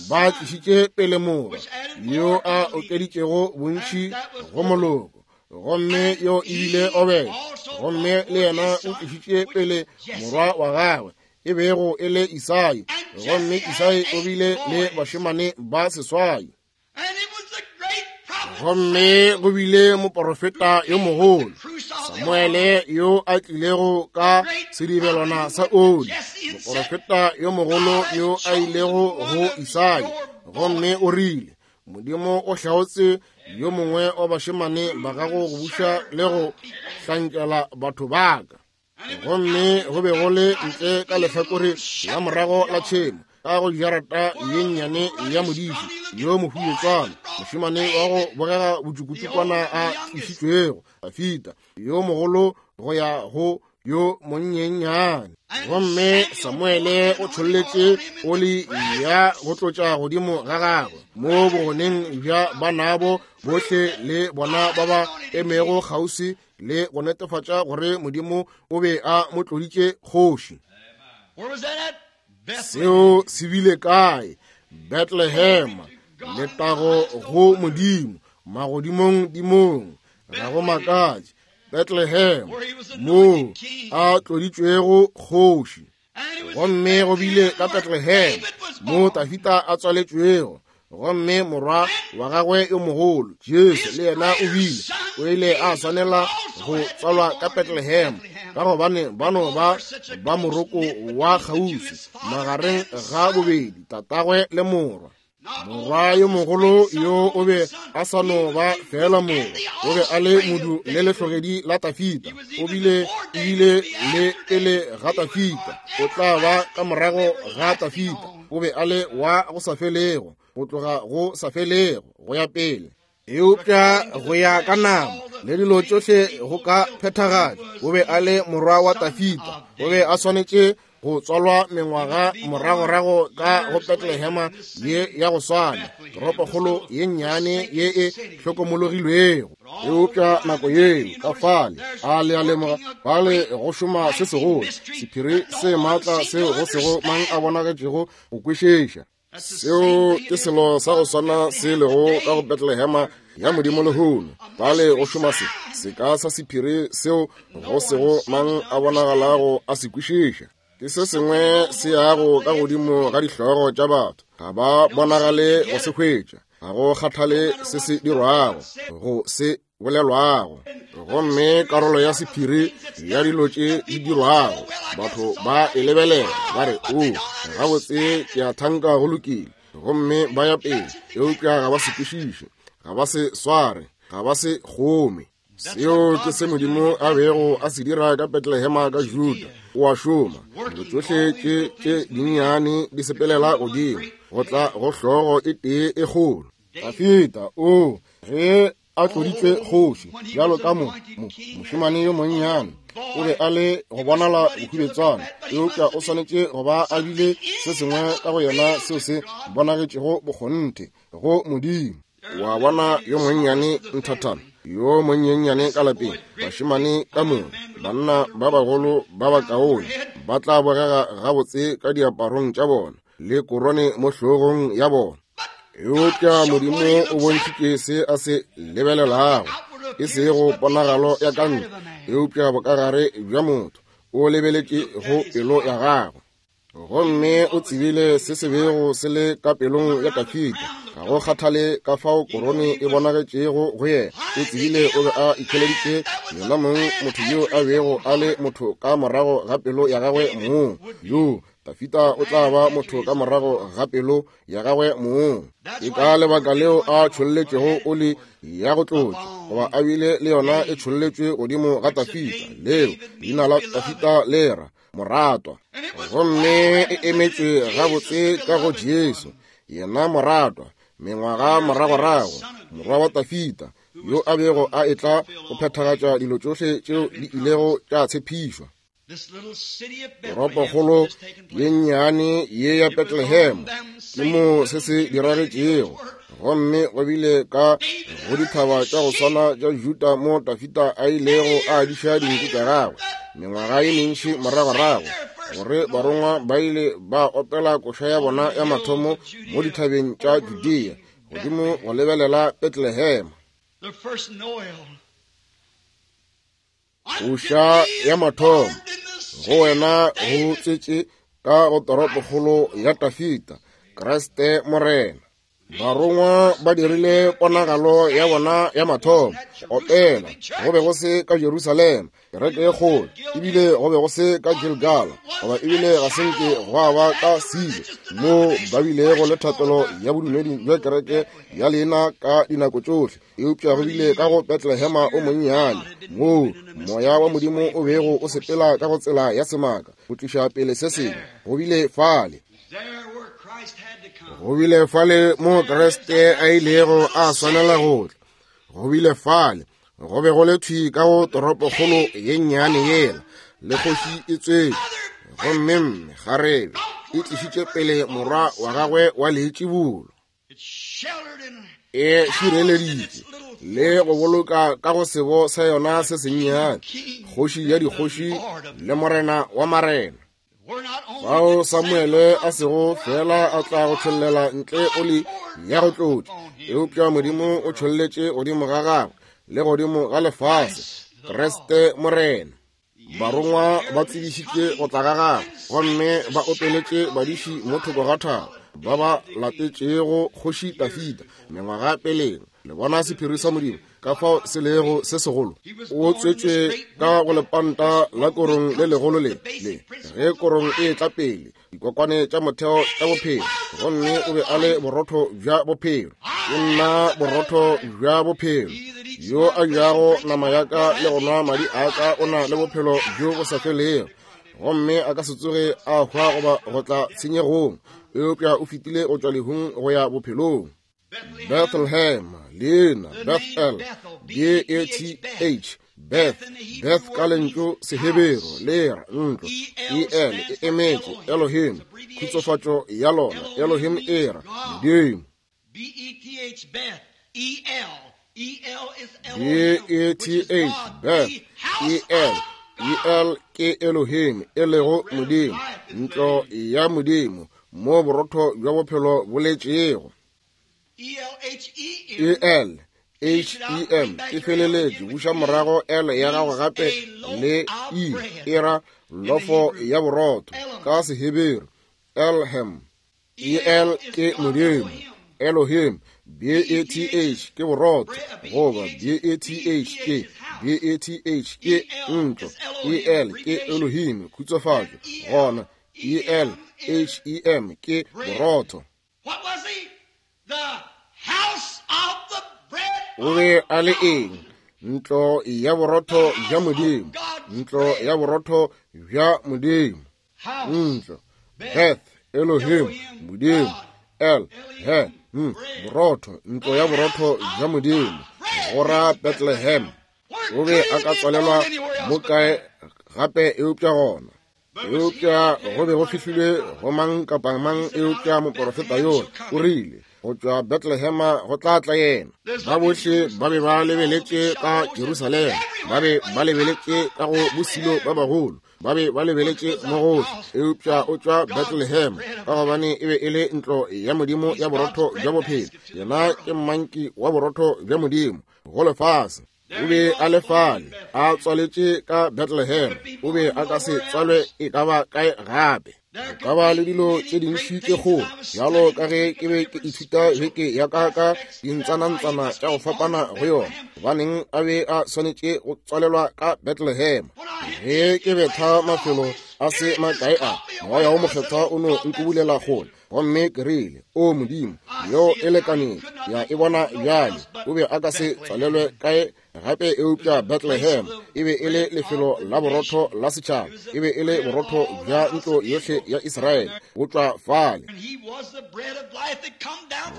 A: ba tlišitše pele morwa yo a okeditšego bontši go moloko. Gomme yo e bile Obed, gomme le yena o tlišitše pele morwa wa gagwe e bego e le Isai, gomme Isai o bile le bašemane ba seswai. Gomme go bile moporofeta yo mogolo Samuele yo a tlilego ka sedibelwana sa oli, moporofeta yo mogolo yo a ilego go Isai, gomme o rile, Modimo o hlaotse yo mongwe wa bašemane ba gago go buša le go hlankela batho ba ka. Gomme go be go le ntle ka lehlakore la morago la tšhemo, ka go jarata ye nnyane ya modiši yo mohuetswana, mošemane wa go bogega botšukutšukwana a tlišitšwego, Dafida yo mogolo go ya go yo monnyennyane. Gomme Samuele o tšholletše oli ya go tlotša godimo ga gagwe mo bogoneng bja banabo bohle le bona ba ba emego kgauswi le go netefatša gore Modimo o be a mo tloditše kgoši. Seo se bile kae? Bethlehem. Letago go Modimo magodimong dimong. Ga go makatše, Bethlehem, moo a tloditšwego kgoši. Gomme go bile ka Bethlehem mo Dafida a tswaletšwego, gomme morwa wa gagwe yo mogolo Jesu le yena o bile o ile a swanela go tswalwa ka Bethlehem, ka gobane ba no ba ba moroko wa kgauswi magareng ga bobedi tatagwe le morwa. Morwa yo mogolo yo o be a sa no ba fela morwa, o be a le modu le lehlogedi la Dafida, o bile ebile le pele ga Dafida, o tla ba ka morago ga Dafida, o be a le wa go sa felego, go tloga go sa felego go ya pele. Eupša go ya ka nama le dilo tšohle go ka phethagatšwa, o be a le morwa wa Dafida, o be a swanetše go tswalwa mengwaga moragorago ka go Bethlehema ye ya go swana, toropokgolo ye nnyane ye e hlokomologilwego. Eupša nako yeo ka fale, a le a lemoga, fale go šoma se segolo, sephiri se maatla seo go sego mang a bonagetšego go kwešiša. Seo ke selo sa go swana se lego ka go Bethlehema ya Modimo lehono. Fale go šoma se seka sa sephiri seo go sego mang a bonagalago a se kwešiša. Ke se sengwe se yago ka godimo ga dihlogo tša batho, ga ba bonagale go se hwetša, ga go kgathale se se dirwago, go se bolelwago. Gomme karolo ya sephiri ya dilo tše di dirwago, batho ba e lebelela ba re, O, gabotse, ke a thanka go lokile, gomme ba ya pele, eupša ga ba se kwešiše, ga ba se sware, ga ba se kgome. Seo ke se Modimo a bego a se dira ka Bethlehema ka Juda. O a šoma. Dilo tšohle tše tše dinnyane di sepelela godimo go tla go hlogo e tee e kgolo. Dafida, o, ge a tloditšwe kgoši, bjalo ka mo, mo, mošemane yo monnyane. O be a le go bonala bohubetswana, eupša o swanetše go ba a bile se sengwe ka go yena seo se bonagetšego bokgonthe go Modimo. Wa bona yo monnyane nthathana, yo monyenyane ka lapeng, bašemane ka moka, banna ba bagolo ba bakaone, ba tla bogega gabotse ka diaparong tša bona le korone mo hlogong ya bona. Eupša Modimo o bontšhitše se a se lebelelago, e sego ponagalo ya ka ntle, eupša bokagare bja motho. O lebeletše go pelo ya gagwe. Gomme o tsebile se se bego se le ka pelong ya Dafida. Ga go kgathale ka fao korone e bonagetšego go yena, o tsebile o be a ikhweleditše yena mong motho yo a bego a le motho ka morago ga pelo ya gagwe mong. Yo Dafida o tla ba motho ka morago ga pelo ya gagwe mong. Ke ka lebaka leo a tšholletšego oli ya go tlotša, goba a bile le yona e tšholletšwe godimo ga Dafida. Leo leina la Dafida le ra moratwa, gomme e emetšwe gabotse ka go Jesu, yena moratwa, mengwaga moragorago, morwa wa Dafida, yo a bego a etla go phethagatša dilo tšohle tšeo di ilego tša tshepišwa. Toropokgolo ye nnyane ye ya Bethlehem ke mo se se diragetšego, gomme go bile ka go dithaba tša go swana tša Juda mo Dafida a ilego a diša dinku tša gagwe mengwaga ye mentši moragorago, gore barongwa ba ile ba opela koša ya bona ya mathomo mo dithabeng tša Judea godimo go lebelela Bethlehem. Koša ya mathomo go wena go tswetše ka go toropokgolo ya Dafida, Kriste Morena. Barongwa ba dirile ponagalo ya bona ya mathomo opela. Go be go se ka Jerusalema, kereke e kgolo, ebile go be go se ka Gilgala, goba ebile ga se nke gwa ba ka Silo, moo ba bilego le thapelo ya bodumedi bja kereke ya leina ka dinako tšohle. Eupša go bile ka go Bethlehema o monnyane, moo Moya wa Modimo o bego o sepela ka go tsela ya semaka go tliša pele se sengwe. Go bile fale, go bile fale mo Kriste a ilego a swanela go tla. Go bile fale, go be go le thwi ka go toropokgolo ye nnyane yela, le kgoši e tswetše, gomme mme kgarebe e tlišitše pele morwa wa gagwe wa leitšibulo. E šireleditše le go boloka ka go sebo sa yona se sennyane, kgoši ya dikgoši le morena wa marena. Fao Samuele a sego fela a tla go tšhollela ntle oli ya go tlotša, eupša Modimo o tšholletše godimo ga gagwe le godimo ga lefase Kriste Morena. Barongwa ba tsebišitše go tla ga gagwe, gomme ba opeletše badiši mo thoko ga thaba ba ba latetšego kgoši Dafida mengwaga peleng. Le bona sephiri sa Modimo ka fao se lego se segolo. O tswetšwe ka go lepanta la korong le legolo le le ge korong e etla pele, dikokwane tša motheo tša bophelo, gomme o be a le borotho bja bophelo. Ke nna borotho bja bophelo. Yo a jago nama ya ka le go nwa madi a ka o na le bophelo bjo bo sa felego, gomme a ka se tsoge a hwa goba go tla tshenyegong, eupša o fetile go tšwa lehung go ya bophelong. Bethlehem, leina Bethel, B-E-T-H, Beth, Beth ka lentšu Seheberu le ra ntlo, E-L e emetše Elohim, khutsofatšo ya lona, Elohim e ra Modimo.
B: B-E-T-H, Beth, E-L,
A: B-E-T-H, Beth, E-L, E-L ke Elohim, e lego Modimo, ntlo ya Modimo, mo borotho bja bophelo bo letšego. E-L, H-E-M, e feleletše, buša morago L ya gago gape le E, e ra lofo ya borotho, ka Seheberu, Elhem. E-L ke Modimo, Elohim, B-E-T-H ke borotho, goba B-E-T-H ke, B-E-T-H ke ntlo, E-L ke Elohim, khutsofatšo, gona E-L-H-E-M ke borotho. O be a le eng? Ntlo ya borotho bja Modimo, ntlo ya borotho bja Modimo. Ntlo, Beth, Elohim, Modimo, El, He, M, borotho, ntlo ya borotho bja Modimo, go ra Bethlehem. O be a ka tswalelwa mo kae gape eupša gona. Eupša go be go fihlilwe go mang kapa mang eupša moporofeta yola o rile, go tšwa Bethlehema go tla tla yena. Ba bohle ba be ba lebeletše ka Jerusalema, ba be ba lebeletše ka go bosilo ba bagolo, ba be ba lebeletše mo gohle, eupša o tšwa Bethlehem, ka gobane e be e le ntlo ya Modimo ya borotho bja bophelo. Yena ke mmanki wa borotho bja Modimo go lefase. O be a le fale, a tswaletše ka Bethlehem. O be a ka se tswalwe e ka ba kae gape. Go ka ba le dilo tše dintši tše kgolo, bjalo ka ge ke be ke ithuta beke ya ka ka dintsanantsana tša go fapana go yona. Gobaneng a be a swanetše go tswalelwa ka Bethlehem? Ge ke betha mafelo a se makae a, Moya wo Mokgethwa o no nkubulela kgole. Gomme ke rile, O Modimo, yo e lekanetše, ya e bona bjale. O be a ka se tswalelwe kae gape eupša Bethlehem? E be e le lefelo la borotho la setšhaba. E be e le borotho bja ntlo yohle ya Israele, bo tšwa fale.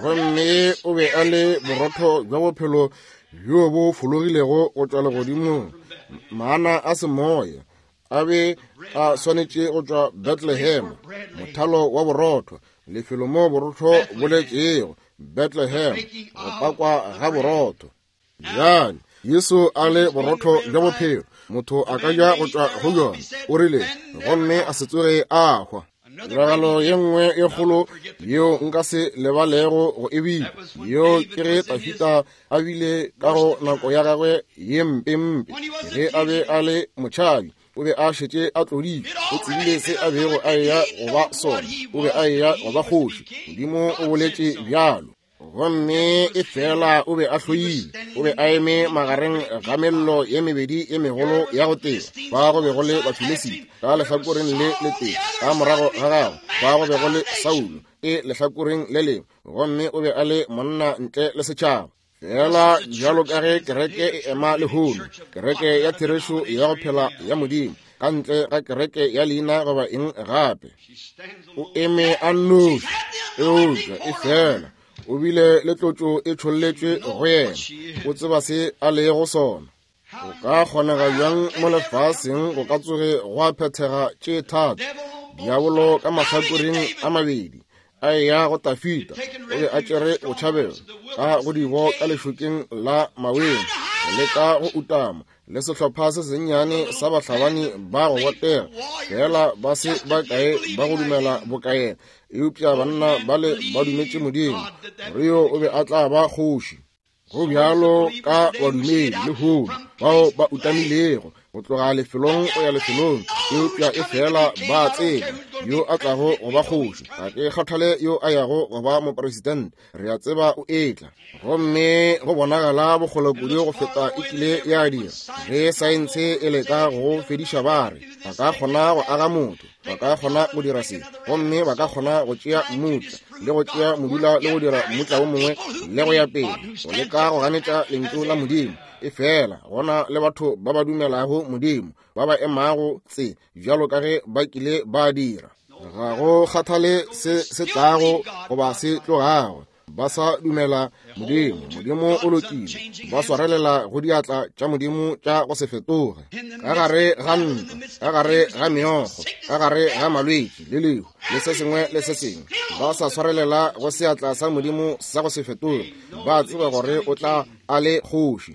A: Gomme o be a le borotho bja bophelo bjo bo fologilego go tšwa legodimong, mana a semoya a be a swanetše go tšwa Bethlehem, mothalo wa borotho, lefelo mo borotho bo letšego, Bethlehem, go pakwa ga borotho. Bjale, Jesu a le borotho bja bophelo, motho a ka ja go tšwa go bjona, o rile, gomme a se tsoge a hwa. Tiragalo ye nngwe e kgolo yeo nka se lebalego go e bile, yeo ke ge Tafita a bile ka go nako ya gagwe ye mpempe, ge a be a le motšhabi, o be a šetše a tloditšwe, o tsebile se a bego a eya go ba sona, o be a eya go ba kgoši, Modimo o boletše bjalo. Gomme e fela o be a hloile, o be a eme magareng ga mello ye mebedi ye megolo ya go teba, fa go be go le Bafilisita ka lehlakoreng le letee, ka morago ga gagwe fa go be go le Saulo e lehlakoreng le lengwe, gomme o be a le monna ntle le setšhaba. Fela bjalo ka ge kereke e ema lehono, kereke ya therešo ya go phela ya Modimo, ka ntle ga kereke ya leina goba eng gape, o eme a nnoši, eupša e fela o bile le tlotšo e tšholletšwe go yena, o tseba se a lego sona. Go ka kgonega bjang mo lefaseng go ka tsoge gwa phethega tše thata? Diabolo ka mahlakoreng a mabedi a eya go Tafita, o be a tšere botšhabelo ka go dibo ka lešokeng la maweng, go leka go utama le sehlopha se sennyane sa bahlabani ba go botega, fela ba se ba kae ba go dumela bokaena, eupša banna bale ba dumetše Modimo gore yo o be a tla ba kgoši. Go bjalo ka badumedi lehono bao ba utamilego go tloga lefelong go ya lefelong, eupša e fela ba tseba yo a tlago go ba kgoši. Ga ke kgathale yo a yago go ba mopresidente, re a tseba o etla. Gomme go bonagala bokgole kudu go feta e kile ya dira. Ge saense e leka go fediša ba re ba ka kgona go aga motho, ba ka kgona go dira se, gomme ba ka kgona go tšea mmutla le go tšea modula le go dira mmutla wo mongwe le go ya pele, go leka go ganetša lentšu la Modimo. E fela gona le batho ba ba dumelago Modimo, ba ba emago tse bjalo ka ge ba kile ba dira. Ga go kgathale se se tlago goba se tlogago, ba sa dumela Modimo. Modimo o lokile, ba swarelela go diatla tša Modimo tša go se fetoge. Ka gare ga ntwa, ka gare ga meokgo, ka gare ga malwetši le lehu le se sengwe le se sengwe, ba sa swarelela go seatla sa Modimo sa go se fetoge. Ba tseba gore o tla a le kgoši.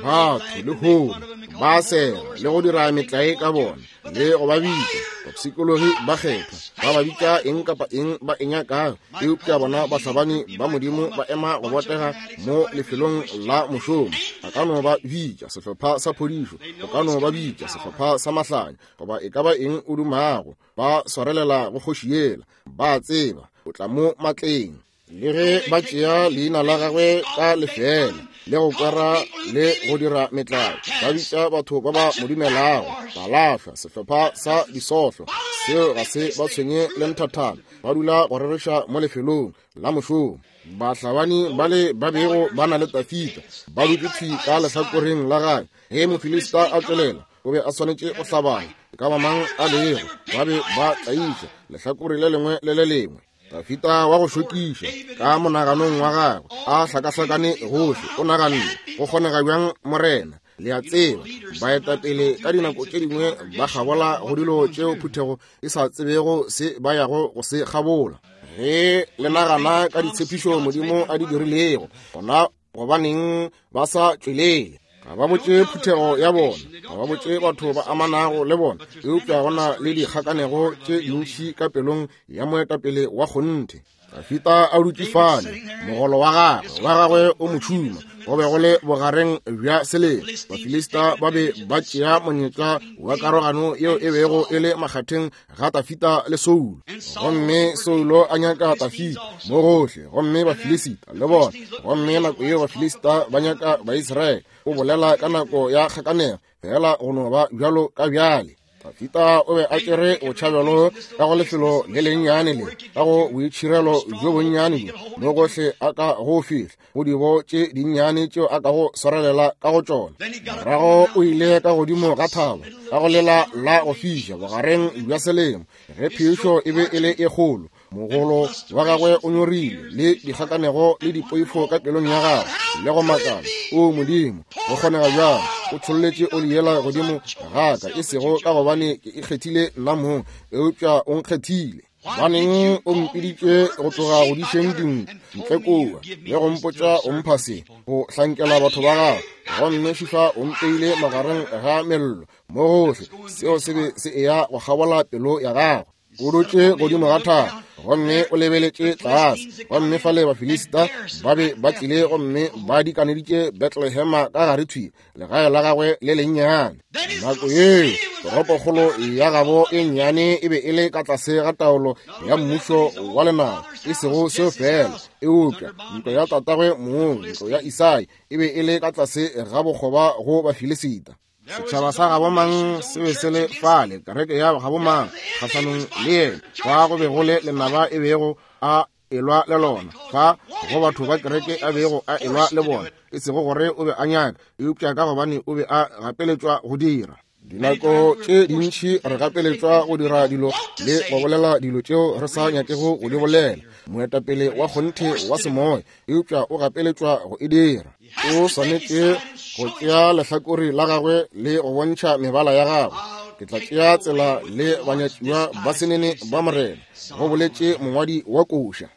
A: Batho lehono ba sega le go dira metlae ka bona le go ba bitša bapshikologi ba kgethwa, ba ba bitša eng kapa eng ba e nyakago, eupša bona bahlabani ba Modimo ba ema go botega mo lefelong la mošomo. Ba ka no ba bitša sehlopha sa phodišo, o ka no ba bitša sehlopha sa mahlanya, goba e ka ba eng o dumago, ba swarelela go kgoši yela. Ba tseba o tla mo matleng. Le ge ba tšea leina la gagwe ka lefeela le go kwera le go dira metlae, ba bitša batho ba ba mo dumelago balahlwa, sehlopha sa disohlo. Seo ga se ba tshwenye le nthathana, ba dula go rereša mo lefelong la mošomo. Bahlabani bale ba bego ba na le Tafita ba dutše thwi ka lehlakoreng la gagwe. Ge Mofilista a tšwelela, o be a swanetše go hlabana, e ka ba mang a lego, ba be ba tlaiša lehlakore le lengwe le le lengwe. Dafita wa go šokiša ka monaganong wa gagwe a hlakahlakane gohle, o naganne, go kgonega bjang, Morena? Le a tseba, baetapele ka dinako tše dingwe ba kgabola go dilo tšeo phuthego e sa tsebego se ba yago go se kgabola. Ge le nagana ka ditshepišo Modimo a di dirilego, gona gobaneng ba sa tšwelele? Ga ba botše phuthego ya bona, ga ba botše batho ba amanago le bona, eupša go na le dikgakanego tše dintši ka pelong ya moetapele wa kgonthe. Dafita a dutše fale, mogolo wa gagwe wa gagwe o mo tšhuma, go be go le bogareng bja selemo. Bafilista ba be ba tšea monyetla wa karogano yeo e bego e le makgatheng ga Dafita le Saulo. Gomme Saulo a nyaka Dafita mo gohle, gomme Bafilisita le bona. Gomme nako yeo Bafilisita ba nyaka Baisraele. O bolela ka nako ya kgakanego, fela go no ba bjalo ka bjale. Dafita o be a tšere botšhabelo ka go lefelo le lennyane le ka go boitšhirelo bjo bonnyane bjo mo gohle a ka go fihla go dibo tše dinnyane tšeo a ka go swarelela ka go tšona. Morago o ile ka godimo ga thaba ka go lela la go fiša bogareng bja selemo ge phišo e be e le e kgolo. Mogolo wa gagwe o nyorile le dikgakanego le dipoifo ka pelong ya gagwe le go makala. O Modimo, go kgonega bjang o tšholletše oli yela godimo ga ka, e sego ka gobane ke ikgethile nna mong, eupša o nkgethile. Gobaneng o mpiditše go tloga go dišeng dinku ntle kua le go mpotša o mpha se go hlankela batho ba gago, gomme šifa o mpeile magareng ga mello mo gohle. Seo se be se eya go kgabola pelo ya gagwe. O dutše godimo ga thaba gomme o lebeletše tlase, gomme fale Bafilista ba be ba tlile gomme ba dikaneditše Bethlehema ka gare thwi, legae la gagwe le lennyane. Nako yeo toropokgolo ya gabo e nnyane e be e le ka tlase ga taolo ya mmušo wa lenaba. E sego seo fela, eupša ntlo ya tatagwe mong, ntlo ya Isai, e be e le ka tlase ga bokgoba go Bafilisita. Setšhaba sa gabo mang se be se le fale, kereke ya gabo mang kgahlanong le yena, fa go be go le lenaba e bego a elwa le lona, fa go batho ba kereke a bego a elwa le bona, e sego gore o be a nyaka, eupša ka gobane o be a gapeletšwa go dira. Dinako tše dintši re gapeletšwa go dira dilo le go bolela dilo tšeo re sa nyakego go di bolela. Moetapele wa kgonthe wa semoya, eupša o gapeletšwa go e dira. O swanetše go tšea lehlakore la gagwe le go bontšha mebala ya gagwe. Ke tla tšea tsela le banyatšiwa ba senene ba Morena, go boletše mongwadi wa koša.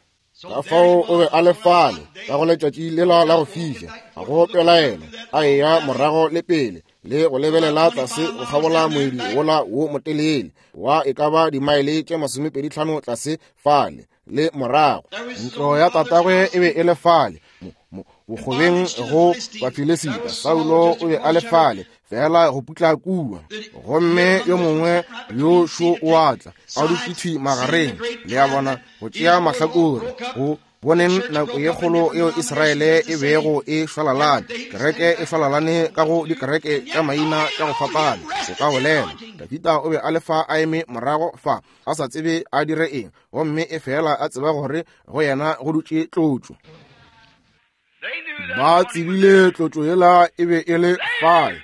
A: Ka fao o be a le fale ka go letšatši lela la go fiša, ga go pelaelo, a eya morago le pele le go lebelela tlase go kgabola moedi wola wo motelele wa e ka ba dimaele tše 25 tlase fale le morago. Ntlo ya tatagwe e be e le fale bokgobeng go Bafilisita. Saulo o be a le fale fela go putla kua, gomme yo mongwe yo šo o a tla a dutše thwi magareng, le a bona, go tšea mahlakore. Go boneng nako ye kgolo yeo Israele e bego e šwalalane, kereke e šwalalane ka go dikereke tša maina tša go fapana, o ka bolela. Dafita o be a le fa a eme morago fa, a sa tsebe a dire eng, gomme e fela a tseba gore go yena go dutše tlotšo. Ba tsebile tlotšo yela e be e le fale.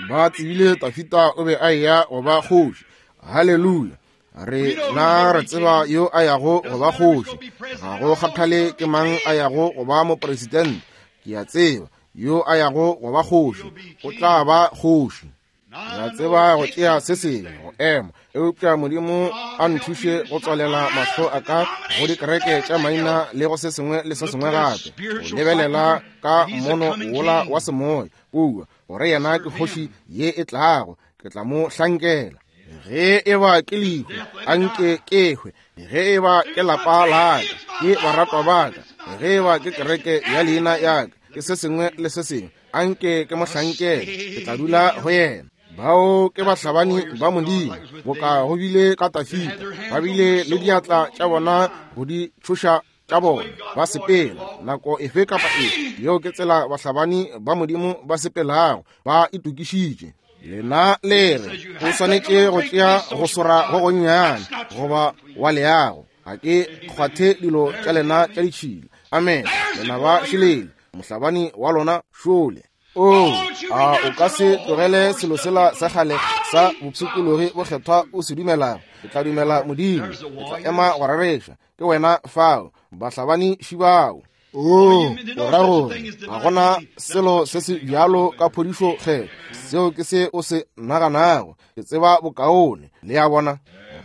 A: Ba tsebile Dafita o be a eya go ba kgoši. Haleluya! Re na re tseba yo a yago go ba kgoši. Ga go kgathale ke mang a yago go ba mopresidente, ke a tseba yo a yago go ba kgoši o tla ba kgoši. Ke a tseba go tšea se sengwe go ema, eupša Modimo a nthuše go tswalela mahlo a ka go dikereke tša maina le go se sengwe le se sengwe gape, go lebelela ka mmono wola wa semoya kua, gore yena ke kgoši ye e tlago, ke tla mo hlankela. Ge e ba ke lehu, a nke ke hwe. Ge e ba ke lapa la ka, ke baratwa ba ka, ge e ba ke kereke ya leina ya ka, ke se sengwe le se sengwe, a nke ke mo hlankele, ke tla dula go yena. Bao ke bahlabani ba Modimo, boka go bile ka Dafida, ba bile le diatla tša bona go di tšhoša tša bona, ba sepela nako efe kapa efe. Yeo ke tsela bahlabani ba Modimo ba sepelago, ba itokišitše. Lena le re, o swanetše go tšea go swara go gonnyane goba wa leago. Ga ke kgwathe dilo tša lena tša ditšhila. Amen. Lena ba šelele, mohlabani wa lona šole. Oo, a o ka se tlogele selo sela sa kgale sa bopshikologi bokgethwa o se dumelago? Ke tla dumela Modimo, ke tla ema go rereša. Ke wena fao, bahlabani šibao. O o ra gore ga gona selo se se bjalo ka phodišo kgetho. Seo ke se o se naganago. Ke tseba bokaone. Le a bona?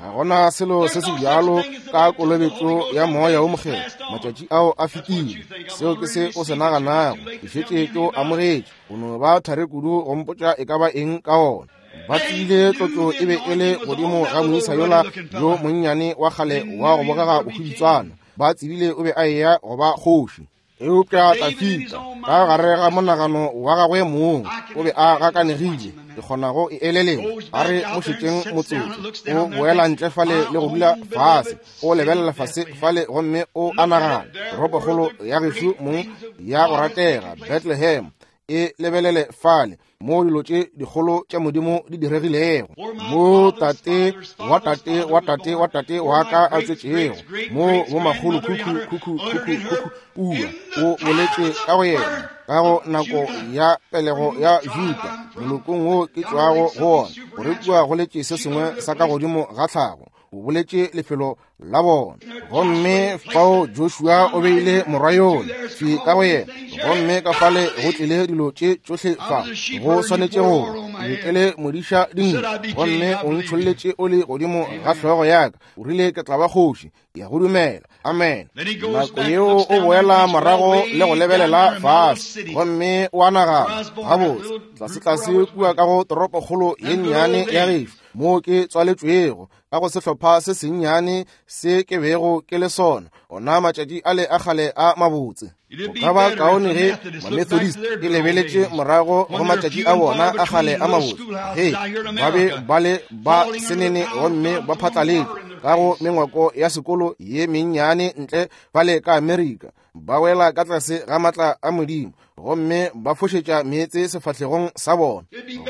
A: Ga gona selo se se bjalo ka kolobetšo ya Moya wo Mokgethwa. Matšatši ao a fetile. Seo ke se o se naganago. Ke šetše ke o amogetše. O no ba thari kudu go mpotša e ka ba eng ka ona. Ba tsebile tlotšo e be e le godimo ga moisa yola yo monnyane wa kgale wa go bogega bohwibitswana. Ba tsebile o be a eya go ba kgoši. Eupša Dafida, ka gare ga monagano wa gagwe mong, o be a gakanegile. Ke kgona go e eleletša. A re mo šetšeng motsotso. O boela ntle fale le go dula fase. O lebelela fase fale gomme o a nagana, toropokgolo ya gešo mong ya go ratega, Bethlehem, e lebelele fale mo dilo tše dikgolo tša Modimo di diregilego, mo tate wa tate wa tate wa tate wa ka a tswetšego, mo bomakgolo khukhu khukhu khukhu khukhu pua o boletše ka go yena ka go nako ya pelego ya Juda, molokong wo ke tšwago go wona, gore kua go letše se sengwe sa ka godimo ga tlhago. O boletše lefelo la bona. Gomme fao Joshua o beile morwa yola thwi ka go yena, gomme ka fale go tlile dilo tše tšohle fa. Go swanetše go be ke le modiša dinku, gomme o ntšholletše oli godimo ga hlogo ya ka. O rile ke tla ba kgoši. Ke a go dumela. Amen. Nako yeo o boela morago le go lebelela fase, gomme o a nagana, gabotse, tlasetlase kua ka go toropokgolo ye nnyane ya gešo, moo ke tswaletšwego ka go sehlopha se sennyane se ke bego ke le sona, ona matšatši ale a kgale a mabotse. Go ka ba kaone ge Mamethodist e lebeletše morago go matšatši a bona a kgale a mabotse, ge ba be ba le ba senene gomme ba phatlaletše ka go mengwako ya sekolo ye mennyane ntle fale ka Amerika, ba wela ka tlase ga matla a Modimo gomme ba fošetša meetse sefahlegong sa bona.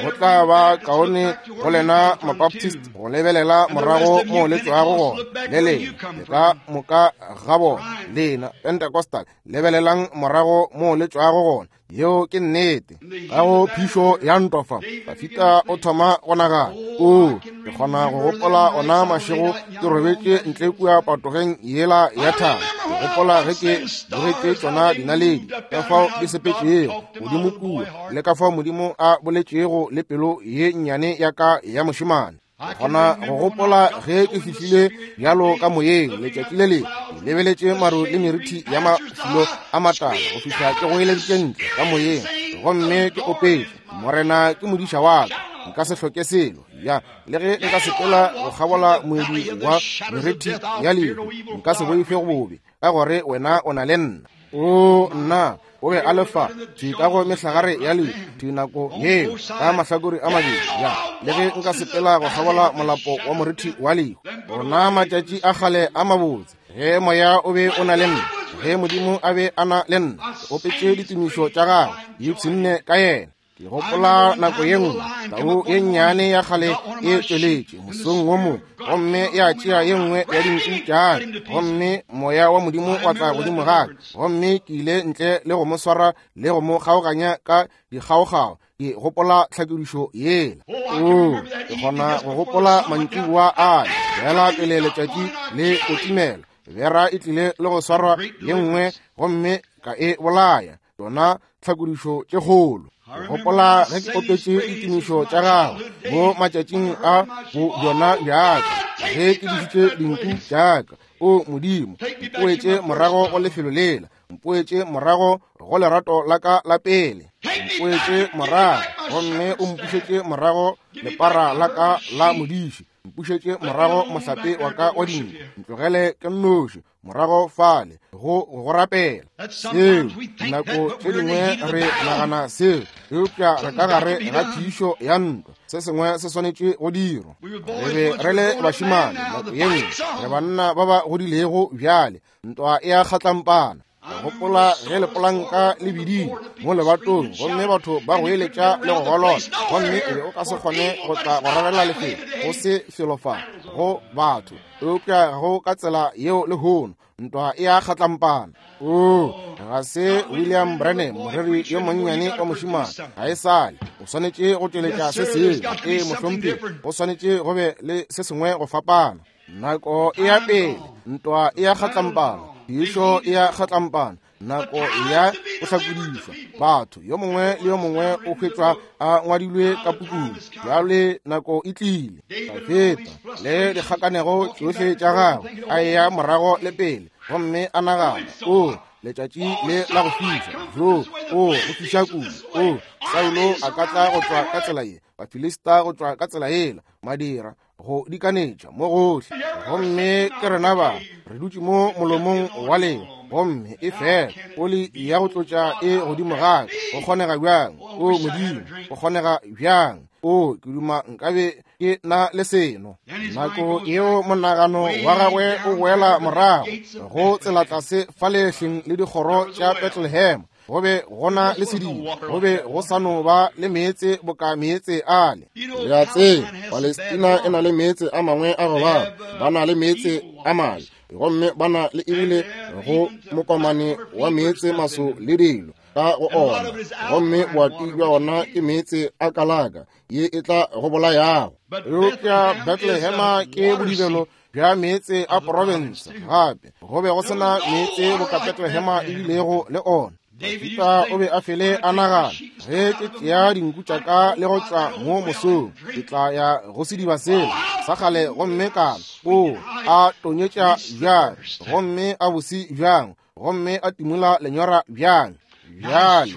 A: Go tla ba kaone go lena Mabaptist go lebelela morago mo le tšwago gona, le lena le ka moka ga bona. Lena Pentecostal, lebelelang morago mo le tšwago gona. Yeo ke nnete. Ka go phišo ya ntwa fa, Dafida o thoma go nagana, o ke kgona go gopola ona mašego ke robetše ntle kua patogeng yela ya thaba. Ke gopola ge ke bogetše tšona dinaledi, ka fao di sepetšego godimo kua, le ka fao Modimo a boletšego le pelo ye nnyane ya ka ya mošemane. Ke kgona go gopola ge ke fihlile bjalo ka moyeng letšatši le lengwe, ke lebeletše maru le merithi ya mafulo a matala go fihla ke goeleditše ntle ka moyeng gomme ke opetše, Morena ke modiša wa ka, nka se hloke selo. Ya, le ge nka sepela go kgabola moedi wa merithi ya lehu, nka se boife go bobe, ka gore wena o na le nna. O nna, o be a le fa thwi ka go mehlagare ya lehu thwi nako yeo ka mahlakore a mabedi. Ya, le ge nka sepela go kgabola molapo wa morithi wa lehu, ona matšatši a kgale a mabotse, ge moya o be o na le nna, ge Modimo a be a na le nna, ke opetše ditumišo tša gagwe, ke ipshinne ka yena. Ke gopola nako ye nngwe tau ye nnyane ya kgale e tšweletše mosong wo mongwe gomme ya tšea ye nngwe ya dinku tša ka, gomme moya wa Modimo wa tla godimo ga ka, gomme ke ile ntle le go mo swara le go mo kgaoganya ka dikgaokgao. Ke gopola tlhakodišo yela. Oo, ke kgona go gopola mantšiboa ale fela pele letšatši le kotimela, bera e tlile le go swarwa ye nngwe gomme ka e bolaya. Tšona tlhakodišo tše kgolo. Ke gopola ge ke opetše ditumišo tša gago mo matšatšing a bo bjona bjaka, ge ke dišitše dinku tšaka. O Modimo, mpoetše morago go lefelo lela, mpoetše morago go lerato la ka la pele, mpoetše morago gomme o mpušetše morago lepara la ka la modiši, mpušetše morago mohlape wa ka wa dinku, ntlogele ke nnoši morago fale go go rapela. Seo nako tše dingwe re nagana seo, eupša re ka gare ga phišo ya ntwa. Se sengwe se swanetše go dirwa. Re be re le bašemane nako ye nngwe, re banna ba ba godilego bjale. Ntwa e a kgatlampana. Ke gopola ge lepolanka le bidile mo lebatong gomme batho ba goeletša le go golola, gomme o be o ka se kgone go tla go rarela lefelo, go se felo fa go batho. Eupša go ka tsela yeo lehono, ntwa e a kgatlampana. Oo, ga se William Branham, moreri yo monnyane wa mošemane, ga e sale. O swanetše go tšweletša se sengwe. Ee, mohlomphegi, go swanetše go be le se sengwe go fapana. Nako e ya pele, ntwa e a kgatlampana, phišo e a kgatlampana. Nako ya go hlakodišwa batho, yo mongwe le yo mongwe o hwetšwa a ngwadilwe ka pukung. Bjale nako e tlile. Dafida le dikgakanego tšohle tša gagwe a eya morago le pele, gomme a nagana, o letšatši le la go fiša, jo, o go fiša kudu, o Saulo a ka tla go tšwa ka tsela ye, Bafilista go tšwa ka tsela yela, madira go dikanetša mo gohle, gomme ke rena ba re dutše mo molomong wa leo, gomme e fela oli ya go tlotša e godimo ga ka. Go kgonega bjang? O Modimo, go kgonega bjang? O, ke duma nkabe ke na le seno. Nako yeo monagano wa gagwe o boela morago go tsela tlase fa lehleng le dikgoro tša Bethlehem. Go be go na le sediba, go be go sa no ba le meetse boka meetse ale. Le a tseba, Palestina e na le meetse a mangwe a go baba, ba na le meetse a mabe, gomme ba na le ebile go mokomane wa meetse maso le dilo ka go ona, gomme boati bja ona ke meetse a kalaka ye e tla go bolayago. Eupša Bethlehema ke bodibelo bja meetse a profense. Gape go be go se na meetse boka Bethlehema e bilego le ona. Dafida o be a fele a nagana, ge ke tšea dinku tša ka le go tšwa mo mosong, ke tla ya go sediba sela sa kgale gomme ka o a tonyetša bjang, gomme a bose bjang, gomme a timola lenyora bjang. Bjale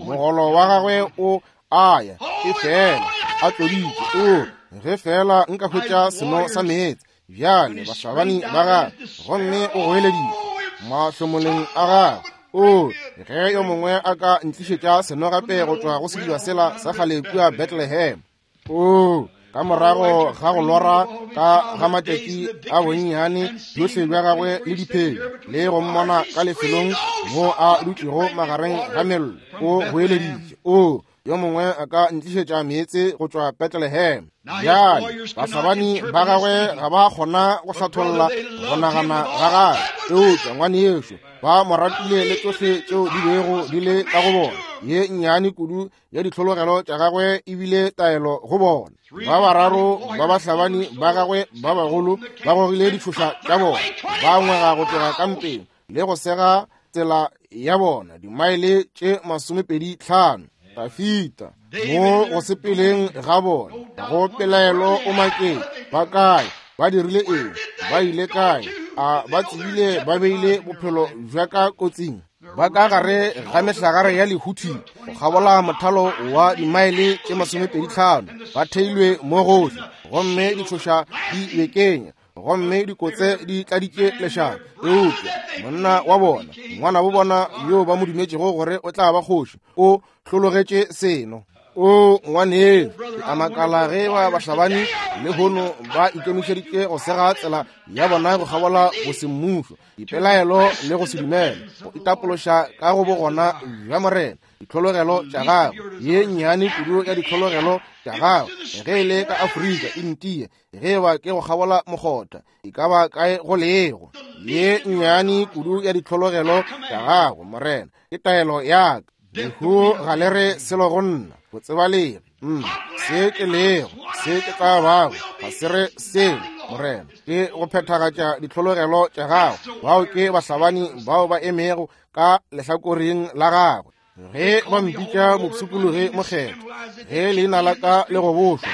A: mogolo wa gagwe o a ya, e fela a tloditše, o ge fela nka hwetša seno sa meetse. Bjale bahlabani ba gagwe, gomme o goeleditše mahlomoleng a gagwe, o ge yo mongwe a ka ntlišetša seno gape go tšwa go sediba sela sa kgale kua Bethlehem. O ka morago ga go lora ka ga matšatši a bonnyane bjohle bja gagwe le diphelo, le go mmona ka lefelong mo a dutšego magareng ga mello, o goeleditše, o yo mongwe a ka ntlišetša meetse go tšwa Bethlehem. Bjale bahlabani ba gagwe ga ba kgona go hlatholla go nagana ga gagwe, eupša ngwanešo ba mo ratile le tšohle tšeo di bego di le ka go bona. Ye nnyane kudu ya ditlhologelo tša gagwe e bile taelo go bona. Ba bararo ba bahlabani ba gagwe ba bagolo ba gogile ditšhoša tša bona, ba ngwega go tloga kampeng le go sega tsela ya bona dimaele tše 25. Dafida mo go sepeleng ga bona go pelaelo o maketše, ba kae? Ba dirile eng? Ba ile kae? A ba tsebile ba beile bophelo bja ka kotsing? Ba ka gare ga mehlagare ya lehuthi go kgabola mothalo wa dimaele tše 25, ba theilwe mo gohle, gomme ditšhoša di bekenya, gomme dikotse di tladitše lešaba. Eupša monna wa bona, ngwana bo bona yo ba mo dumetšego gore o tla ba kgoši, o hlologetše seno. O ngwaneno, ke a makala ge ba bahlabani lehono ba ikemišeditše go sega tsela ya bona go kgabola bosemmušo, dipelaelo le go se dumele, go itapološa ka go bogona bja Morena, ditlhologelo tša gagwe, ye nnyane kudu ya ditlhologelo tša gagwe, ge e le ka Afrika e ntie, ge e ba ke go kgabola mokgotha, e ka ba kae go lego, ye nnyane kudu ya ditlhologelo tša gago, Morena, ke taelo ya ka. Lehu ga le re selo go nna, go tsebalege se ke lego, se ke tla bago, ga se re selo, Morena, ke go phethagatša ditlhologelo tša gago. Bao ke bahlabani bao ba emego ka lehlakoreng la gagwe. Ge ba mpitša mopshikologi mokgethwa, ge leina la ka le gobošwa,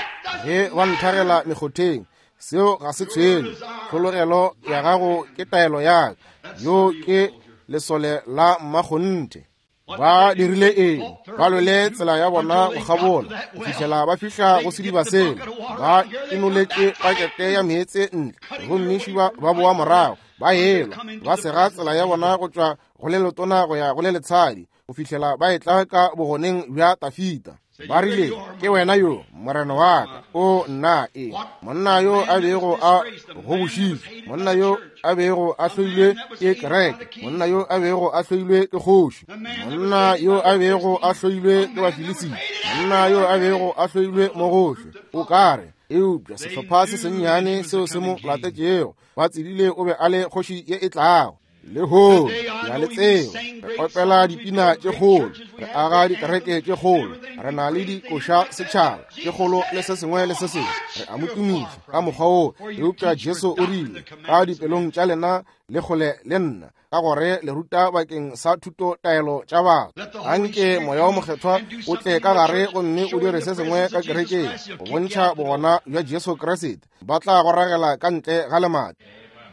A: ge ba nthagela mekgotheng, seo ga se tshwenye. Tlhologelo ya gago ke taelo ya ka. Yo ke lesole la mmakgonthe. Ba dirile eng? Ba lwele tsela ya bona go kgabola go fihlela ba fihla go sediba sela. Ba inoletše pakete ya meetse ntle, gomme šiba ba boa morago, ba elwa, ba sega tsela ya bona go tšwa go le letona go ya go le letshadi, go fihlela ba etla ka bogoneng bja Dafida. Ba rile, ke wena yo, morena wa ka. O nna e monna yo a bego a gobošitšwe, monna yo a bego a hloilwe ke kereke, monna yo a bego a hloilwe ke kgoši, monna yo a bego a hloilwe ke Bafilisita, monna yo a bego a hloilwe mo gohle. O ka re, eupša sehlopha se sennyane seo se mo latetšego, ba tsebile o be a le kgoši ye e tlago. Lehono, ke a le tseba, re opela dipina tše kgolo, re aga dikereke tše kgolo, re na le dikoša setšhaba tše kgolo le se sengwe le se sengwe, re a mo tumiša ka mokgwa woo. Eupša Jesu o rile, Ka dipelong tša lena le kgole le nna, ka gore le ruta bakeng sa thuto taelo tša batho. Anke Moya wo Mokgethwa o tle ka gare gomme o dire se sengwe ka kerekeng go bontšha bogona bja Jesu Kriste. Ba tla go ragela ka ntle ga lemati.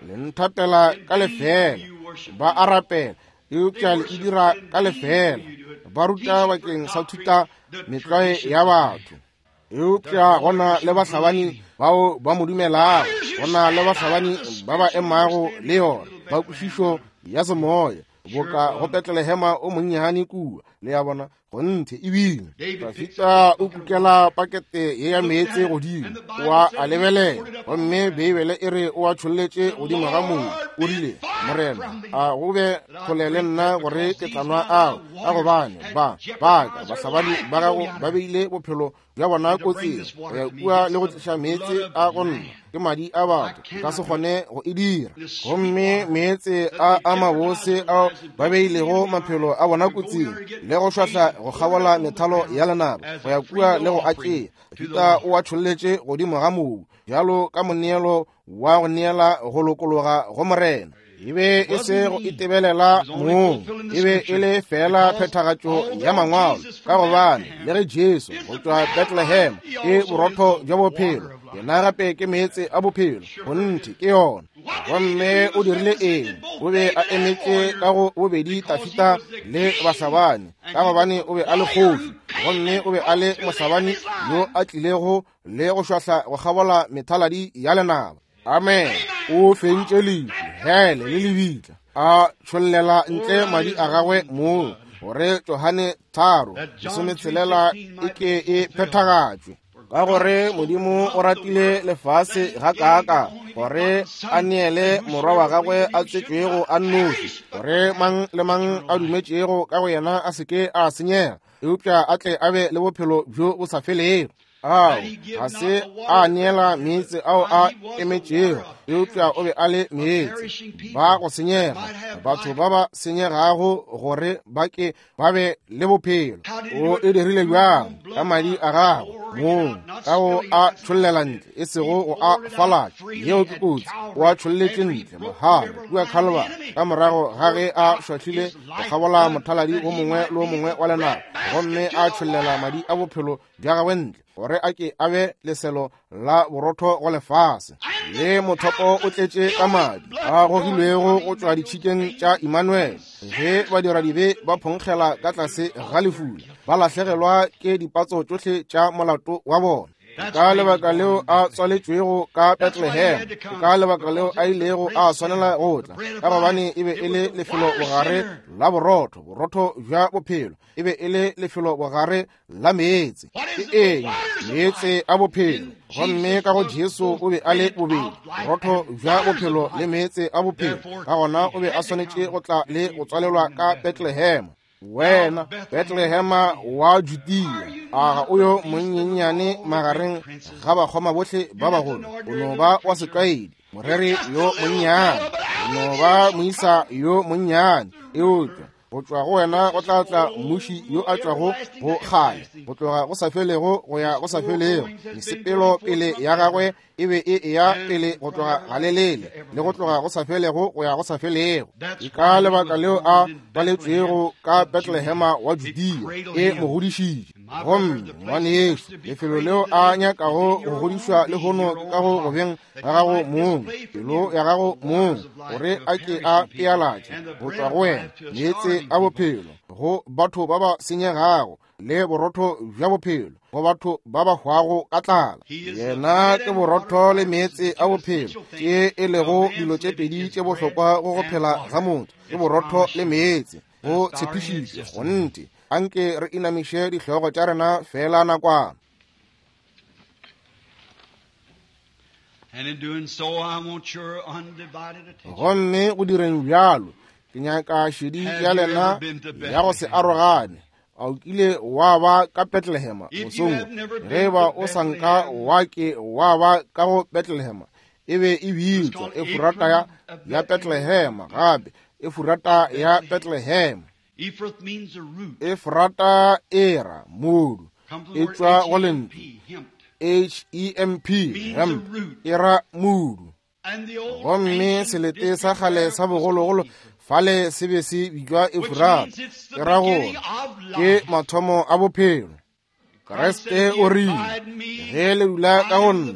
A: Le nthapela ka lefeela, ba a rapela, eupša le e dira ka lefeela. Ba ruta bakeng sa thuta metlwae ya batho. Eupša go na le bahlabani bao ba mo dumelago, go na le bahlabani ba ba emago le yona, ba kwešišo ya semoya, boka go Betlelehema o monnyane kua, le ya bona, gonthe ebile Dafita o kukela pakete ye ya meetse godimo, wa a lebelela, gomme Beibele e re o a tšholletše godimo ga mobu. O rile, Morena, a go be kgole le nna gore ke tla nwa ao, ka gobane ba baka bahlabani ba gago ba beile bophelo bja bona kotsing go ya kua le go tliša meetse a go nna ke madi a batho, nka se kgone go e dira. Gomme meetse a a mabose ao ba beilego maphelo a bona kotsing le go šwahla go kgabola methalo ya lenaba go ya kua le go a tšea, Dafita o a tšholletše godimo ga mobu bjalo ka moneelo wa go neela go lokologa go Morena. E be e se go itebelela mong, e be e le fela phethagatšo ya mangwalo, ka gobane le ge Jesu go tšwa Bethlehem ke borotho bja bophelo, yena gape ke meetse a bophelo. Kgonthe ke yona. Gomme o dirile eng? O be a emetše ka go bobedi Dafita le bahlabani, ka gobane o be a le kgoši, gomme o be a le mohlabani yo a tlilego le go šwahla go kgabola methaladi ya lenaba. Amen. O fentše lehu, hele le lebitla, a tšhollela ntle madi a gagwe moo, gore Johane 3:16 e ke e phethagatšwe. Ka gore Modimo o ratile lefase gakaaka gore a neele morwa wa gagwe a tswetšwego a nnoši, gore mang le mang a dumetšego ka go yena a se ke a senyega, eupša a tle a be le bophelo bjo bo sa felego. Ao ga se a neela meetse ao a emetšego, eupša o be a le meetse ba go senyega, batho ba ba senyegago gore ba ke ba be le bophelo. O e dirile bjang? Ka madi a gagwe mong, ka go a tšhollela ntle, e sego go a falatša. Yeo ke kotsi. O a tšholletše ntle mahala kua Calvary, ka morago ga ge a šwahlile go kgabola mothaladi wo mongwe le wo mongwe wa lenaba, gomme a tšhollela madi a bophelo bja gagwe ntle, gore a ke a be leselo la borotho go lefase. Le mothopo o tletše ka madi a gogilwego go tšwa ditšhikeng tša Immanuel. Ge badiradibe ba phonkgela ka tlase ga lefula, ba lahlegelwa ke dipatso tšohle tša molato wa bona. Ka lebaka leo a tswaletšwego ka Bethlehem, ka lebaka leo a ilego a swanela go tla, ka gobane e be e le lefelo bogare la borotho, borotho bja bophelo, e be e le lefelo bogare la meetse. Ke eng? Meetse a bophelo. Gomme ka go Jesu o be a le bobedi borotho bja bophelo le meetse a bophelo. Ka gona o be a swanetše go tla le go tswalelwa ka Bethlehem. Wena Bethlehema wa Judea, a ga o yo monyenyane magareng ga bakgoma bohle ba bagolo? O no ba wa setlwaedi, moreri yo monnyane, o no ba moisa yo monnyane, eupša go tšwa go wena go tla tla mmuši yo a tšwago go kgale, go tloga go sa felego go ya go sa felego. Mesepelo pele ya gagwe e be e eya pele go tloga galelele le go tloga go sa felego go ya go sa felego. Ke ka lebaka leo a baletšwego ka Bethlehema wa Judea, e mo godišitše. Gomme ngwanešu, lefelo leo a nyakago go godišwa lehono ke ka go gobeng ga gago mong, pelo ya gago mong, gore a ke a pealatše go tšwa go wena meetse a bophelo go batho ba ba senyegago, le borotho bja bophelo go batho ba ba hwago ka tlala. Yena ke borotho le meetse a bophelo, tše e lego dilo tše pedi tše bohlokwa go go phela ga motho, ke borotho le meetse. Go tshepišitšwe kgonthe. Anke re inamiše dihlogo tša rena feela nakwana. Gomme go direng bjalo, ke nyaka šedi ya lena ya go se arogane. A o kile wa ba ka Bethlehem mosong? Ge ba o sa nka wa ke wa ba ka go Bethlehem, e be e bitšwa Efurata ya Bethlehem gape. Efurata ya Bethlehem. Efurata e ra modu, e tšwa go lentšu H-E-M-P, hemp, e ra modu. Gomme selete sa kgale sa bogologolo fale se be se bitšwa Efurata, e ra gore ke mathomo a bophelo. Kriste o rile, ge le dula ka go nna,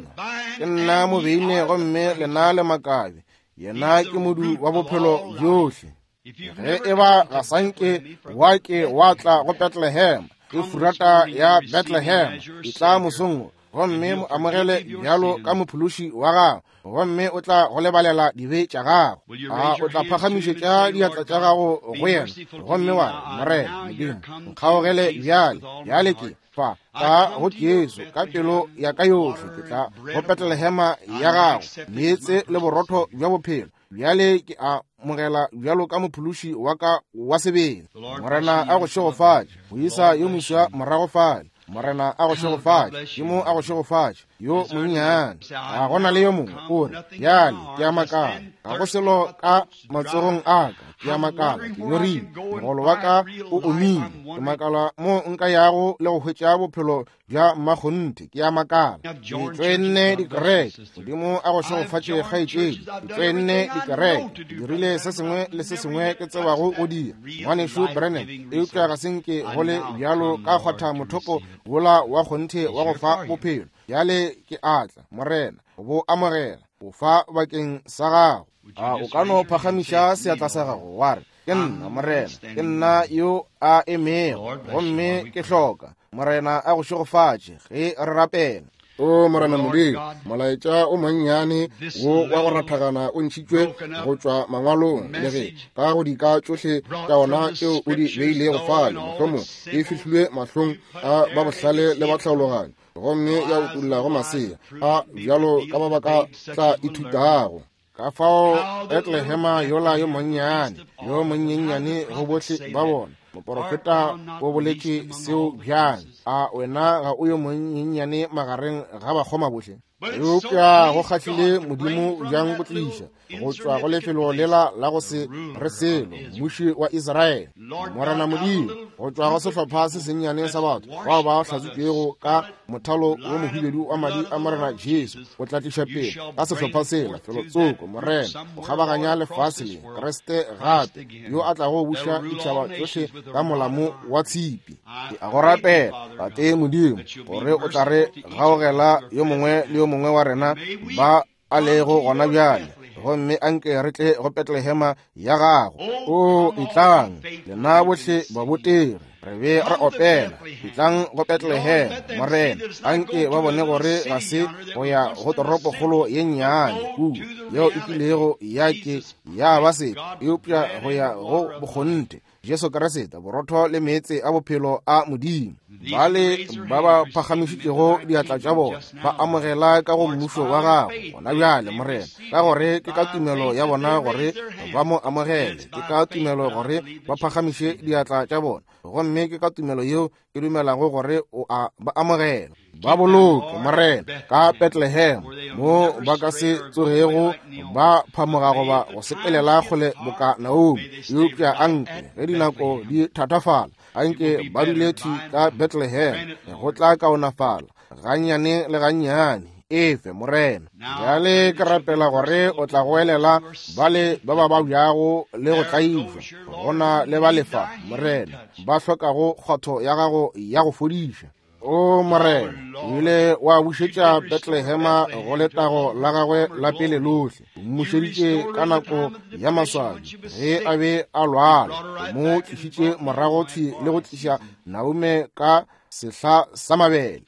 A: ke nna mobeine gomme lena le makabe, yena ke modu wa bophelo bjohle. Ge e ba ga sanke wa ke wa tla go Bethlehem, Efurata ya Bethlehem, e tla mosong gomme mo amogele bjalo ka mophološi wa gago, gomme o tla go lebalela dibe tša gago. A o tla phagamišetša diatla tša gago go yena gomme wa re, Morena Modimo, nkgaogele bjale, bjale ke fa ka go Jesu ka pelo ya ka yohle, ke tla go Bethlehema ya gago, meetse le borotho bja bophelo. Bjale ke a mogela bjalo ka mophološi wa ka wa sebele. Morena a go šegofatše, moisa yo moswa morago fale. Morena a go šegofatše, ke mo a go šegofatše, yo monnyane. Ga gona le yo mongwe o re, bjale ke a makala, ga go selo ka matsogong a ka, ke a makala, ke nyorile, mogolo wa ka o omile, ke makala mo nka yago le go hwetša bophelo bja mmakgonthe, ke a makala. Ke tšoenne dikereke, Modimo a go šegofatše kgaetšedi, ke tšoenne dikereke, ke dirile se sengwe le se sengwe ke tsebago go dira, ngwanešu Branham, eupša ga se nke go le bjalo ka kgwatha mothopo wola wa kgonthe wa go fa bophelo. Bjale ke a tla, Morena, go bo amogela, go fa bakeng sa gago. A o ka no phagamiša seatla sa gago wa re, ke nna Morena, ke nna yo a emego, gomme ke hloka. Morena a go šegofatše ge re rapela. O Morena Modimo, molaetša o monnyane wo wa go rathagana o ntšhitšwe go tšwa mangwalong, le ge ka go dika tšohle tša ona tšeo o di beilego fale, mohlomong e fihlilwe mahlong a ba bohlale le ba tlhaologanyo, gomme ya utolla go masea a bjalo ka ba ba ka tla ithutago. Ka fao Bethlehema yola yo monnyane, yo monyenyane go bohle ba bona, moporofeta o boletše seo bjang, a wena ga o yo monyenyane magareng ga bakgoma bohle? Eupša go kgahlile Modimo bjang go tliša go tšwa go lefelo lela la go se re selo mmuši wa Israele, Morena Modimo, go tšwa go sehlopha se sennyane sa batho bao ba hlatswitšwego ka mothalo wo mohubedu wa madi a Morena Jesu, o tla tliša pele ka sehlopha sela felotsoko, Morena, go kgabaganya lefase le Kriste gape, yo a tlago buša ditšhaba tšohle ka molamo wa tshipi. Ke a go rapela, Tate Modimo, gore o tla re gaogela yo mongwe le yo mongwe wa rena ba a lego gona bjale, gomme anke re tle go Bethlehema ya gago. O etlang, lena bohle babotegi, re be re opela, etlang go Bethlehem, Morena, anke ba bone gore ga se go ya go toropokgolo ye nnyane kua yeo e kilego ya ke ya ba se, eupša go ya go bokgonthe Jesu Kriste, borotho le meetse a bophelo a Modimo. Bale ba ba phagamišitšego diatla tša bona ba amogela ka go mmušo wa gago gona bjale, Morena, ka gore ke ka tumelo ya bona gore ba mo amogele, ke ka tumelo gore ba phagamiše diatla tša bona, gomme ke ka tumelo yeo ke dumelago gore o a ba amogela. Ba boloke, Morena, ka Bethlehem, mo ba ka se tsogego ba phamoga goba go sepelela kgole boka Naomi, eupša anke ge dinako di thatafala, anke ba dule thwi ka Bethlehem, go tla kaonafala gannyane le gannyane. Efe, Morena. Bjale ke rapela gore o tla goelela bale ba ba babjago le go tlaišwa, go na le ba lefa, Morena, ba hlokago kgwatho ya gago ya go fodiša. O Morena, o ile wa bušetša Bethlehema go letago la gagwe la pele lohle. O mmušeditše ka nako ya maswabi ge a be a lwala. O mo tlišitše morago thwi le go tliša Naume ka sehla sa mabele.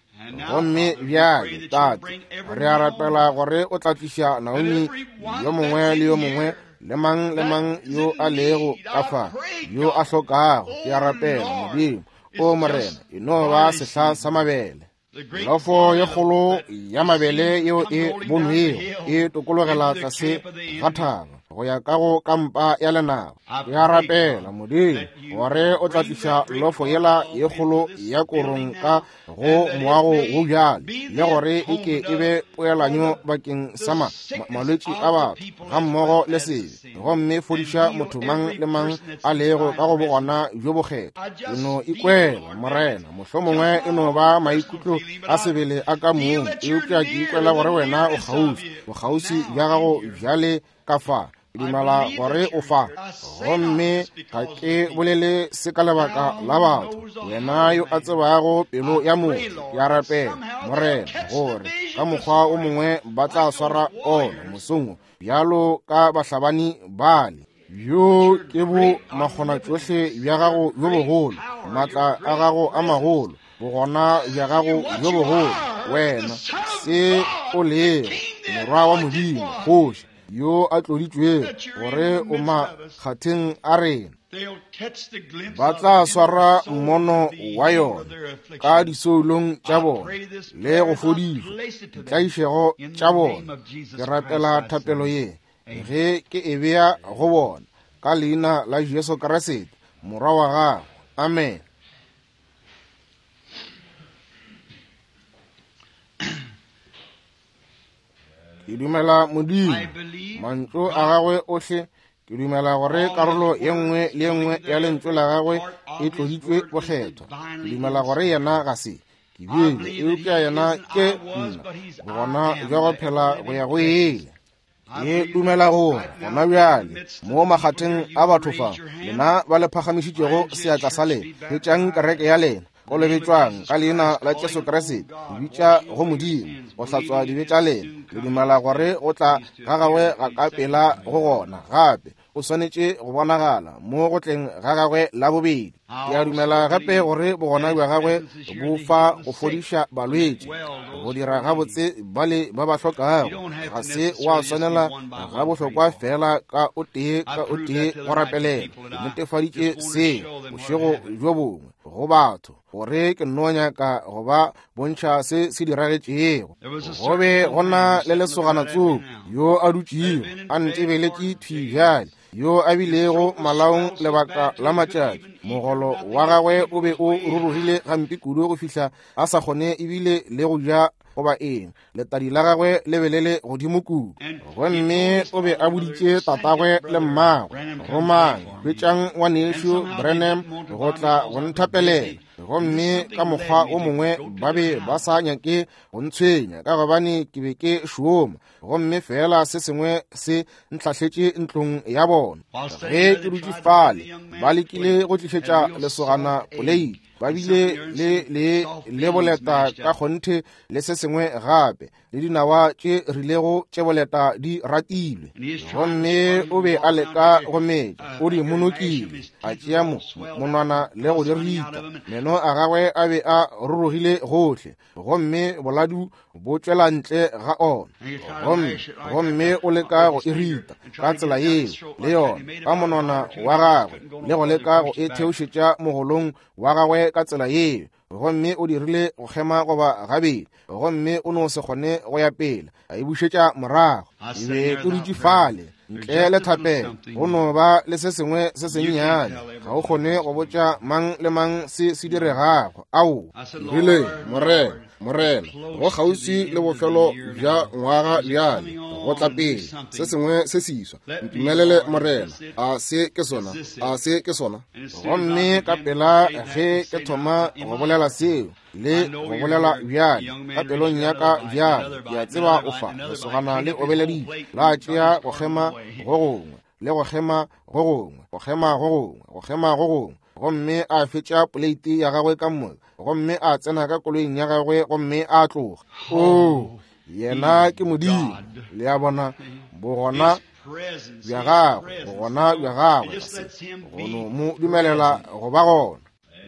A: Gomme bjale, Tate, re a rapela gore o tla tliša Naomi yo mongwe le yo mongwe le mang le mang yo a lego ka fa, yo a hlokago. Ke a rapela, Modimo, o Morena, e no ba sehla sa mabele. Lofo ye kgolo ya mabele yeo e bonwego e tokologela tlase ga thaba. go ya ka go kampa ya lenaba. Ke a rapela, Modimo, gore o tla tliša lofo yela ye kgolo ya korong ka go moago wo bjale, le gore e ke e be poelanyo bakeng sa malwetši a batho gammogo le sebe, gomme fodiša motho mang le mang a lego ka go bogona bjo bokgethwa. Ke no ikwela, Morena, mohlomongwe e no ba maikutlo a sebele a ka mong, eupša ke ikwela gore wena o kgauswi, bokgauswi bja gago bjale ka fa. Ke dumela gore o fa, gomme ga ke bolele se ka lebaka la batho. Wena yo a tsebago pelo ya motho, ke a rapela, Morena, gore ka mokgwa o mongwe ba tla swara ona mosong bjalo ka bahlabani bale. Bjo ke bo makgonatšohle bja gago bjo bogolo, maatla a gago a magolo, bogona bja gago bjo bogolo. Wena se o lego Morwa wa Modimo, Kgoši yo a tloditšwego, gore o makgatheng a rena. Ba tla swara mmono wa yona ka disoulong tša bona le go fodišwa ditlaišego tša bona. Ke rapela thapelo ye ge ke e bea go bona ka leina la Jesu Kriste, Morwa wa gago. Amen. Ke dumela Modimo, mantšu a gagwe ohle. Ke dumela gore karolo ye nngwe le ye nngwe ya lentšu la gagwe e tloditšwe bokgethwa. Ke dumela gore yena ga se ke bile, eupša yena ke nna, bogona bja go phela go ya go ile. Ke dumela gore gona bjale mo makgatheng a batho fa, lena ba le phagamišitšego seatla sa lena, hwetšang kereke ya lena, kolobetšwang ka leina la Jesu Kriste, bitša go Modimo go hlatswa dibe tša lena. Le dumela gore go tla ga gagwe ga ka pela go gona, gape o swanetše go bonagala mo go tleng ga gagwe la bobedi. Ke a dumela gape gore bogona bja gagwe bo fa go fodiša balwetši, go dira gabotse bale ba ba hlokago. Ga se wa swanela ga bohlokwa fela ka o tee ka o tee go rapelela. Ke netefaditše se bošego bjo bongwe go batho, gore ke nno nyaka go ba bontšha se se diragetšego. Go be go na le lesogana tsoko yo a dutšego a ntebeletše thwi bjale, yo a bilego malaong lebaka la matšatši. Mogolo wa gagwe o be o rurugile gampe kudu go fihla a sa kgone ebile le go ja goba eng. Letadi la gagwe le be le le godimo kudu, gomme o be a boditše tatagwe le mmagwe, romang, hwetšang ngwanešu Branham go tla go nthapelela. Gomme ka mokgwa o mongwe ba be ba sa nyake go ntshwenya ka gobane ke be ke šoma, gomme fela se sengwe se ntlhahletše ntlong ya bona. Ge ke dutše fale, ba lekile go tlišetša lesogana poleiti, ba bile le le boleta ka kgonthe le se sengwe gape, le dinawa tše rilego tše boleta di ratilwe. Gomme o be a leka go metša, o di monokile, a tšea monwana le go di rita. Meno a gagwe a be a rurugile gohle, gomme boladu bo tšwela ntle ga ona. Gomme o leka go e rita ka tsela yeo le yona ka monwana wa gagwe, le go leka go e theošetša mogolong wa gagwe ka tsela yeo. Gomme o dirile go kgema goba gabedi, gomme o no se kgone go ya pele, a e bušetša morago. E be ke dutše fale ntle le thapelo, go no ba le se sengwe se sennyane, ga o kgone go botša mang le mang se se diregago. Ao, rile, Morena, Morena, go kgauswi le bofelo bja ngwaga bjale, go tla pele se sengwe se siswa. Ntumelele, Morena, a se ke sona, a se ke sona. Gomme ka pela ge ke thoma go bolela seo le go bolela bjale ka pelong ya ka bjale, ke a tseba o fa lesogana le obeleditše, la tšea go kgema go gongwe le go kgema go gongwe, go kgema go gongwe, go kgema go gongwe, gomme a fetša poleiti ya gagwe ka moka, gomme a tsena ka koloing ya gagwe gomme a tloga. Oo, yena ke Modimo. Le a bona, bogona bja gagwe, bogona bja gagwe, go no mo dumelela go ba gona.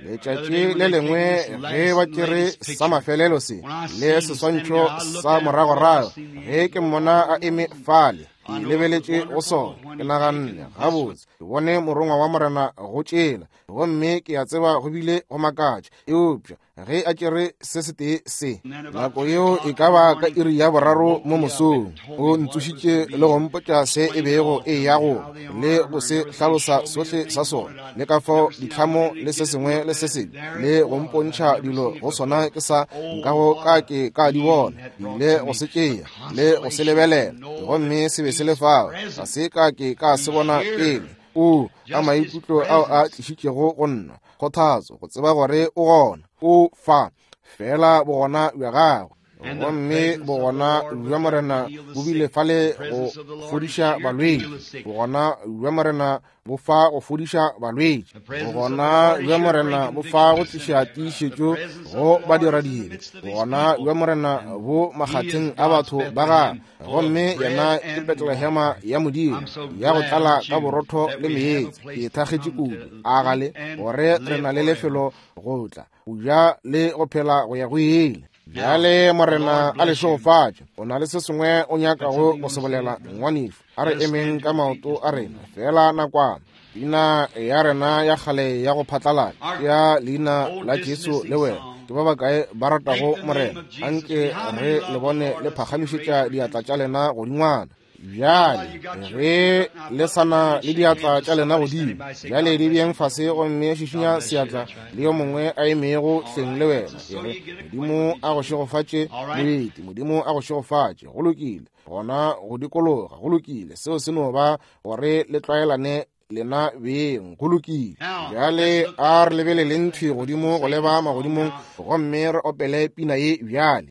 A: Letšatši le lengwe ge ba tšere sa mafelelo se le seswantšho sa moragorago, ge ke mmona a eme fale, ke lebeletše go sona, ke naganne, gabotse, Ke bone morongwa wa Morena go tšela, gomme ke a tseba go bile go makatša. Eupša ge a tšere se setee se, nako yeo e ka ba ka iri ya 3 mo mosong, o ntsošitše le go mpotša se e bego e ya go, le go se hlalosa sohle sa sona, le ka fao ditlhamo le se sengwe le se sengwe, le go mpontšha dilo go sona ke sa nkago ka ke ka di bona. Le go se tšea le go se lebelela, gomme se be se le fao, ga se ka ke ka se bona pele. O ka maikutlo ao a tlišitšego go nna kgothatso go tseba gore o gona, o fa fela bogona bja gagwe. Gomme bogona bja Morena bo bile fale go fodiša balwetši, bogona bja Morena bo fa go fodiša balwetši, bogona bja Morena bo fa go tliša tiišetšo go badiradibe, bogona bja Morena bo makgatheng a batho ba gagwe. Gomme yena ke Betlehema ya Modimo ya go tlala ka borotho le meetse. Ke thakgetše kudu a gale gore re na le lefelo go tla go ja le go phela go ya go ile. Bjale Morena a le šegofatše. O na le se sengwe o nyakago go se bolela, ngwanešu? A re emeng ka maoto a rena fela nakwana. Pina ya rena ya kgale ya go phatlalatša ya leina la Jesu le wena. Ke ba bakae ba ratago Morena? Anke re le bone le phagamišetša diatla tša lena godingwana. Bjale ge le sa na le diatla tša lena godimo, bjale di bjeng fase gomme šišinya seatla le yo mongwe a emego hleng le wena. E re, Modimo a go šegofatše, moeti. Modimo a go šegofatše. Go lokile. Gona go dikologa. Go lokile. Seo se no ba gore le tlwaelane lena beng. Go lokile. Bjale a re lebeleleng thwi godimo go leba magodimong gomme re opele pina ye bjale.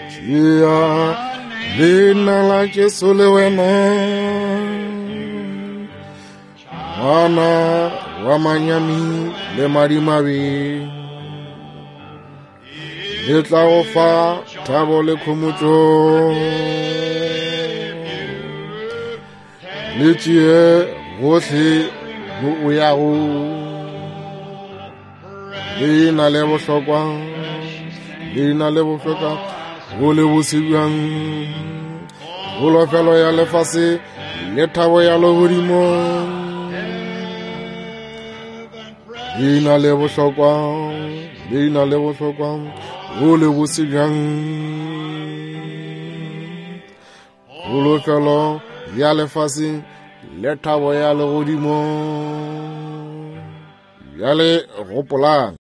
A: Tšea leina la Jesu le wena, ngwana wa manyami le madimabe, le tla go fa thabo le khomotšo. Le tšee gohle mo o yago, leina le bohlokwa, leina le bohlokwa go le bose bjang, kholofelo ya lefase le thabo ya legodimo. Leina le bohlokwa, leina le bohlokwa go le bose bjang, kholofelo ya lefase le thabo ya legodimo. Bjale gopolang.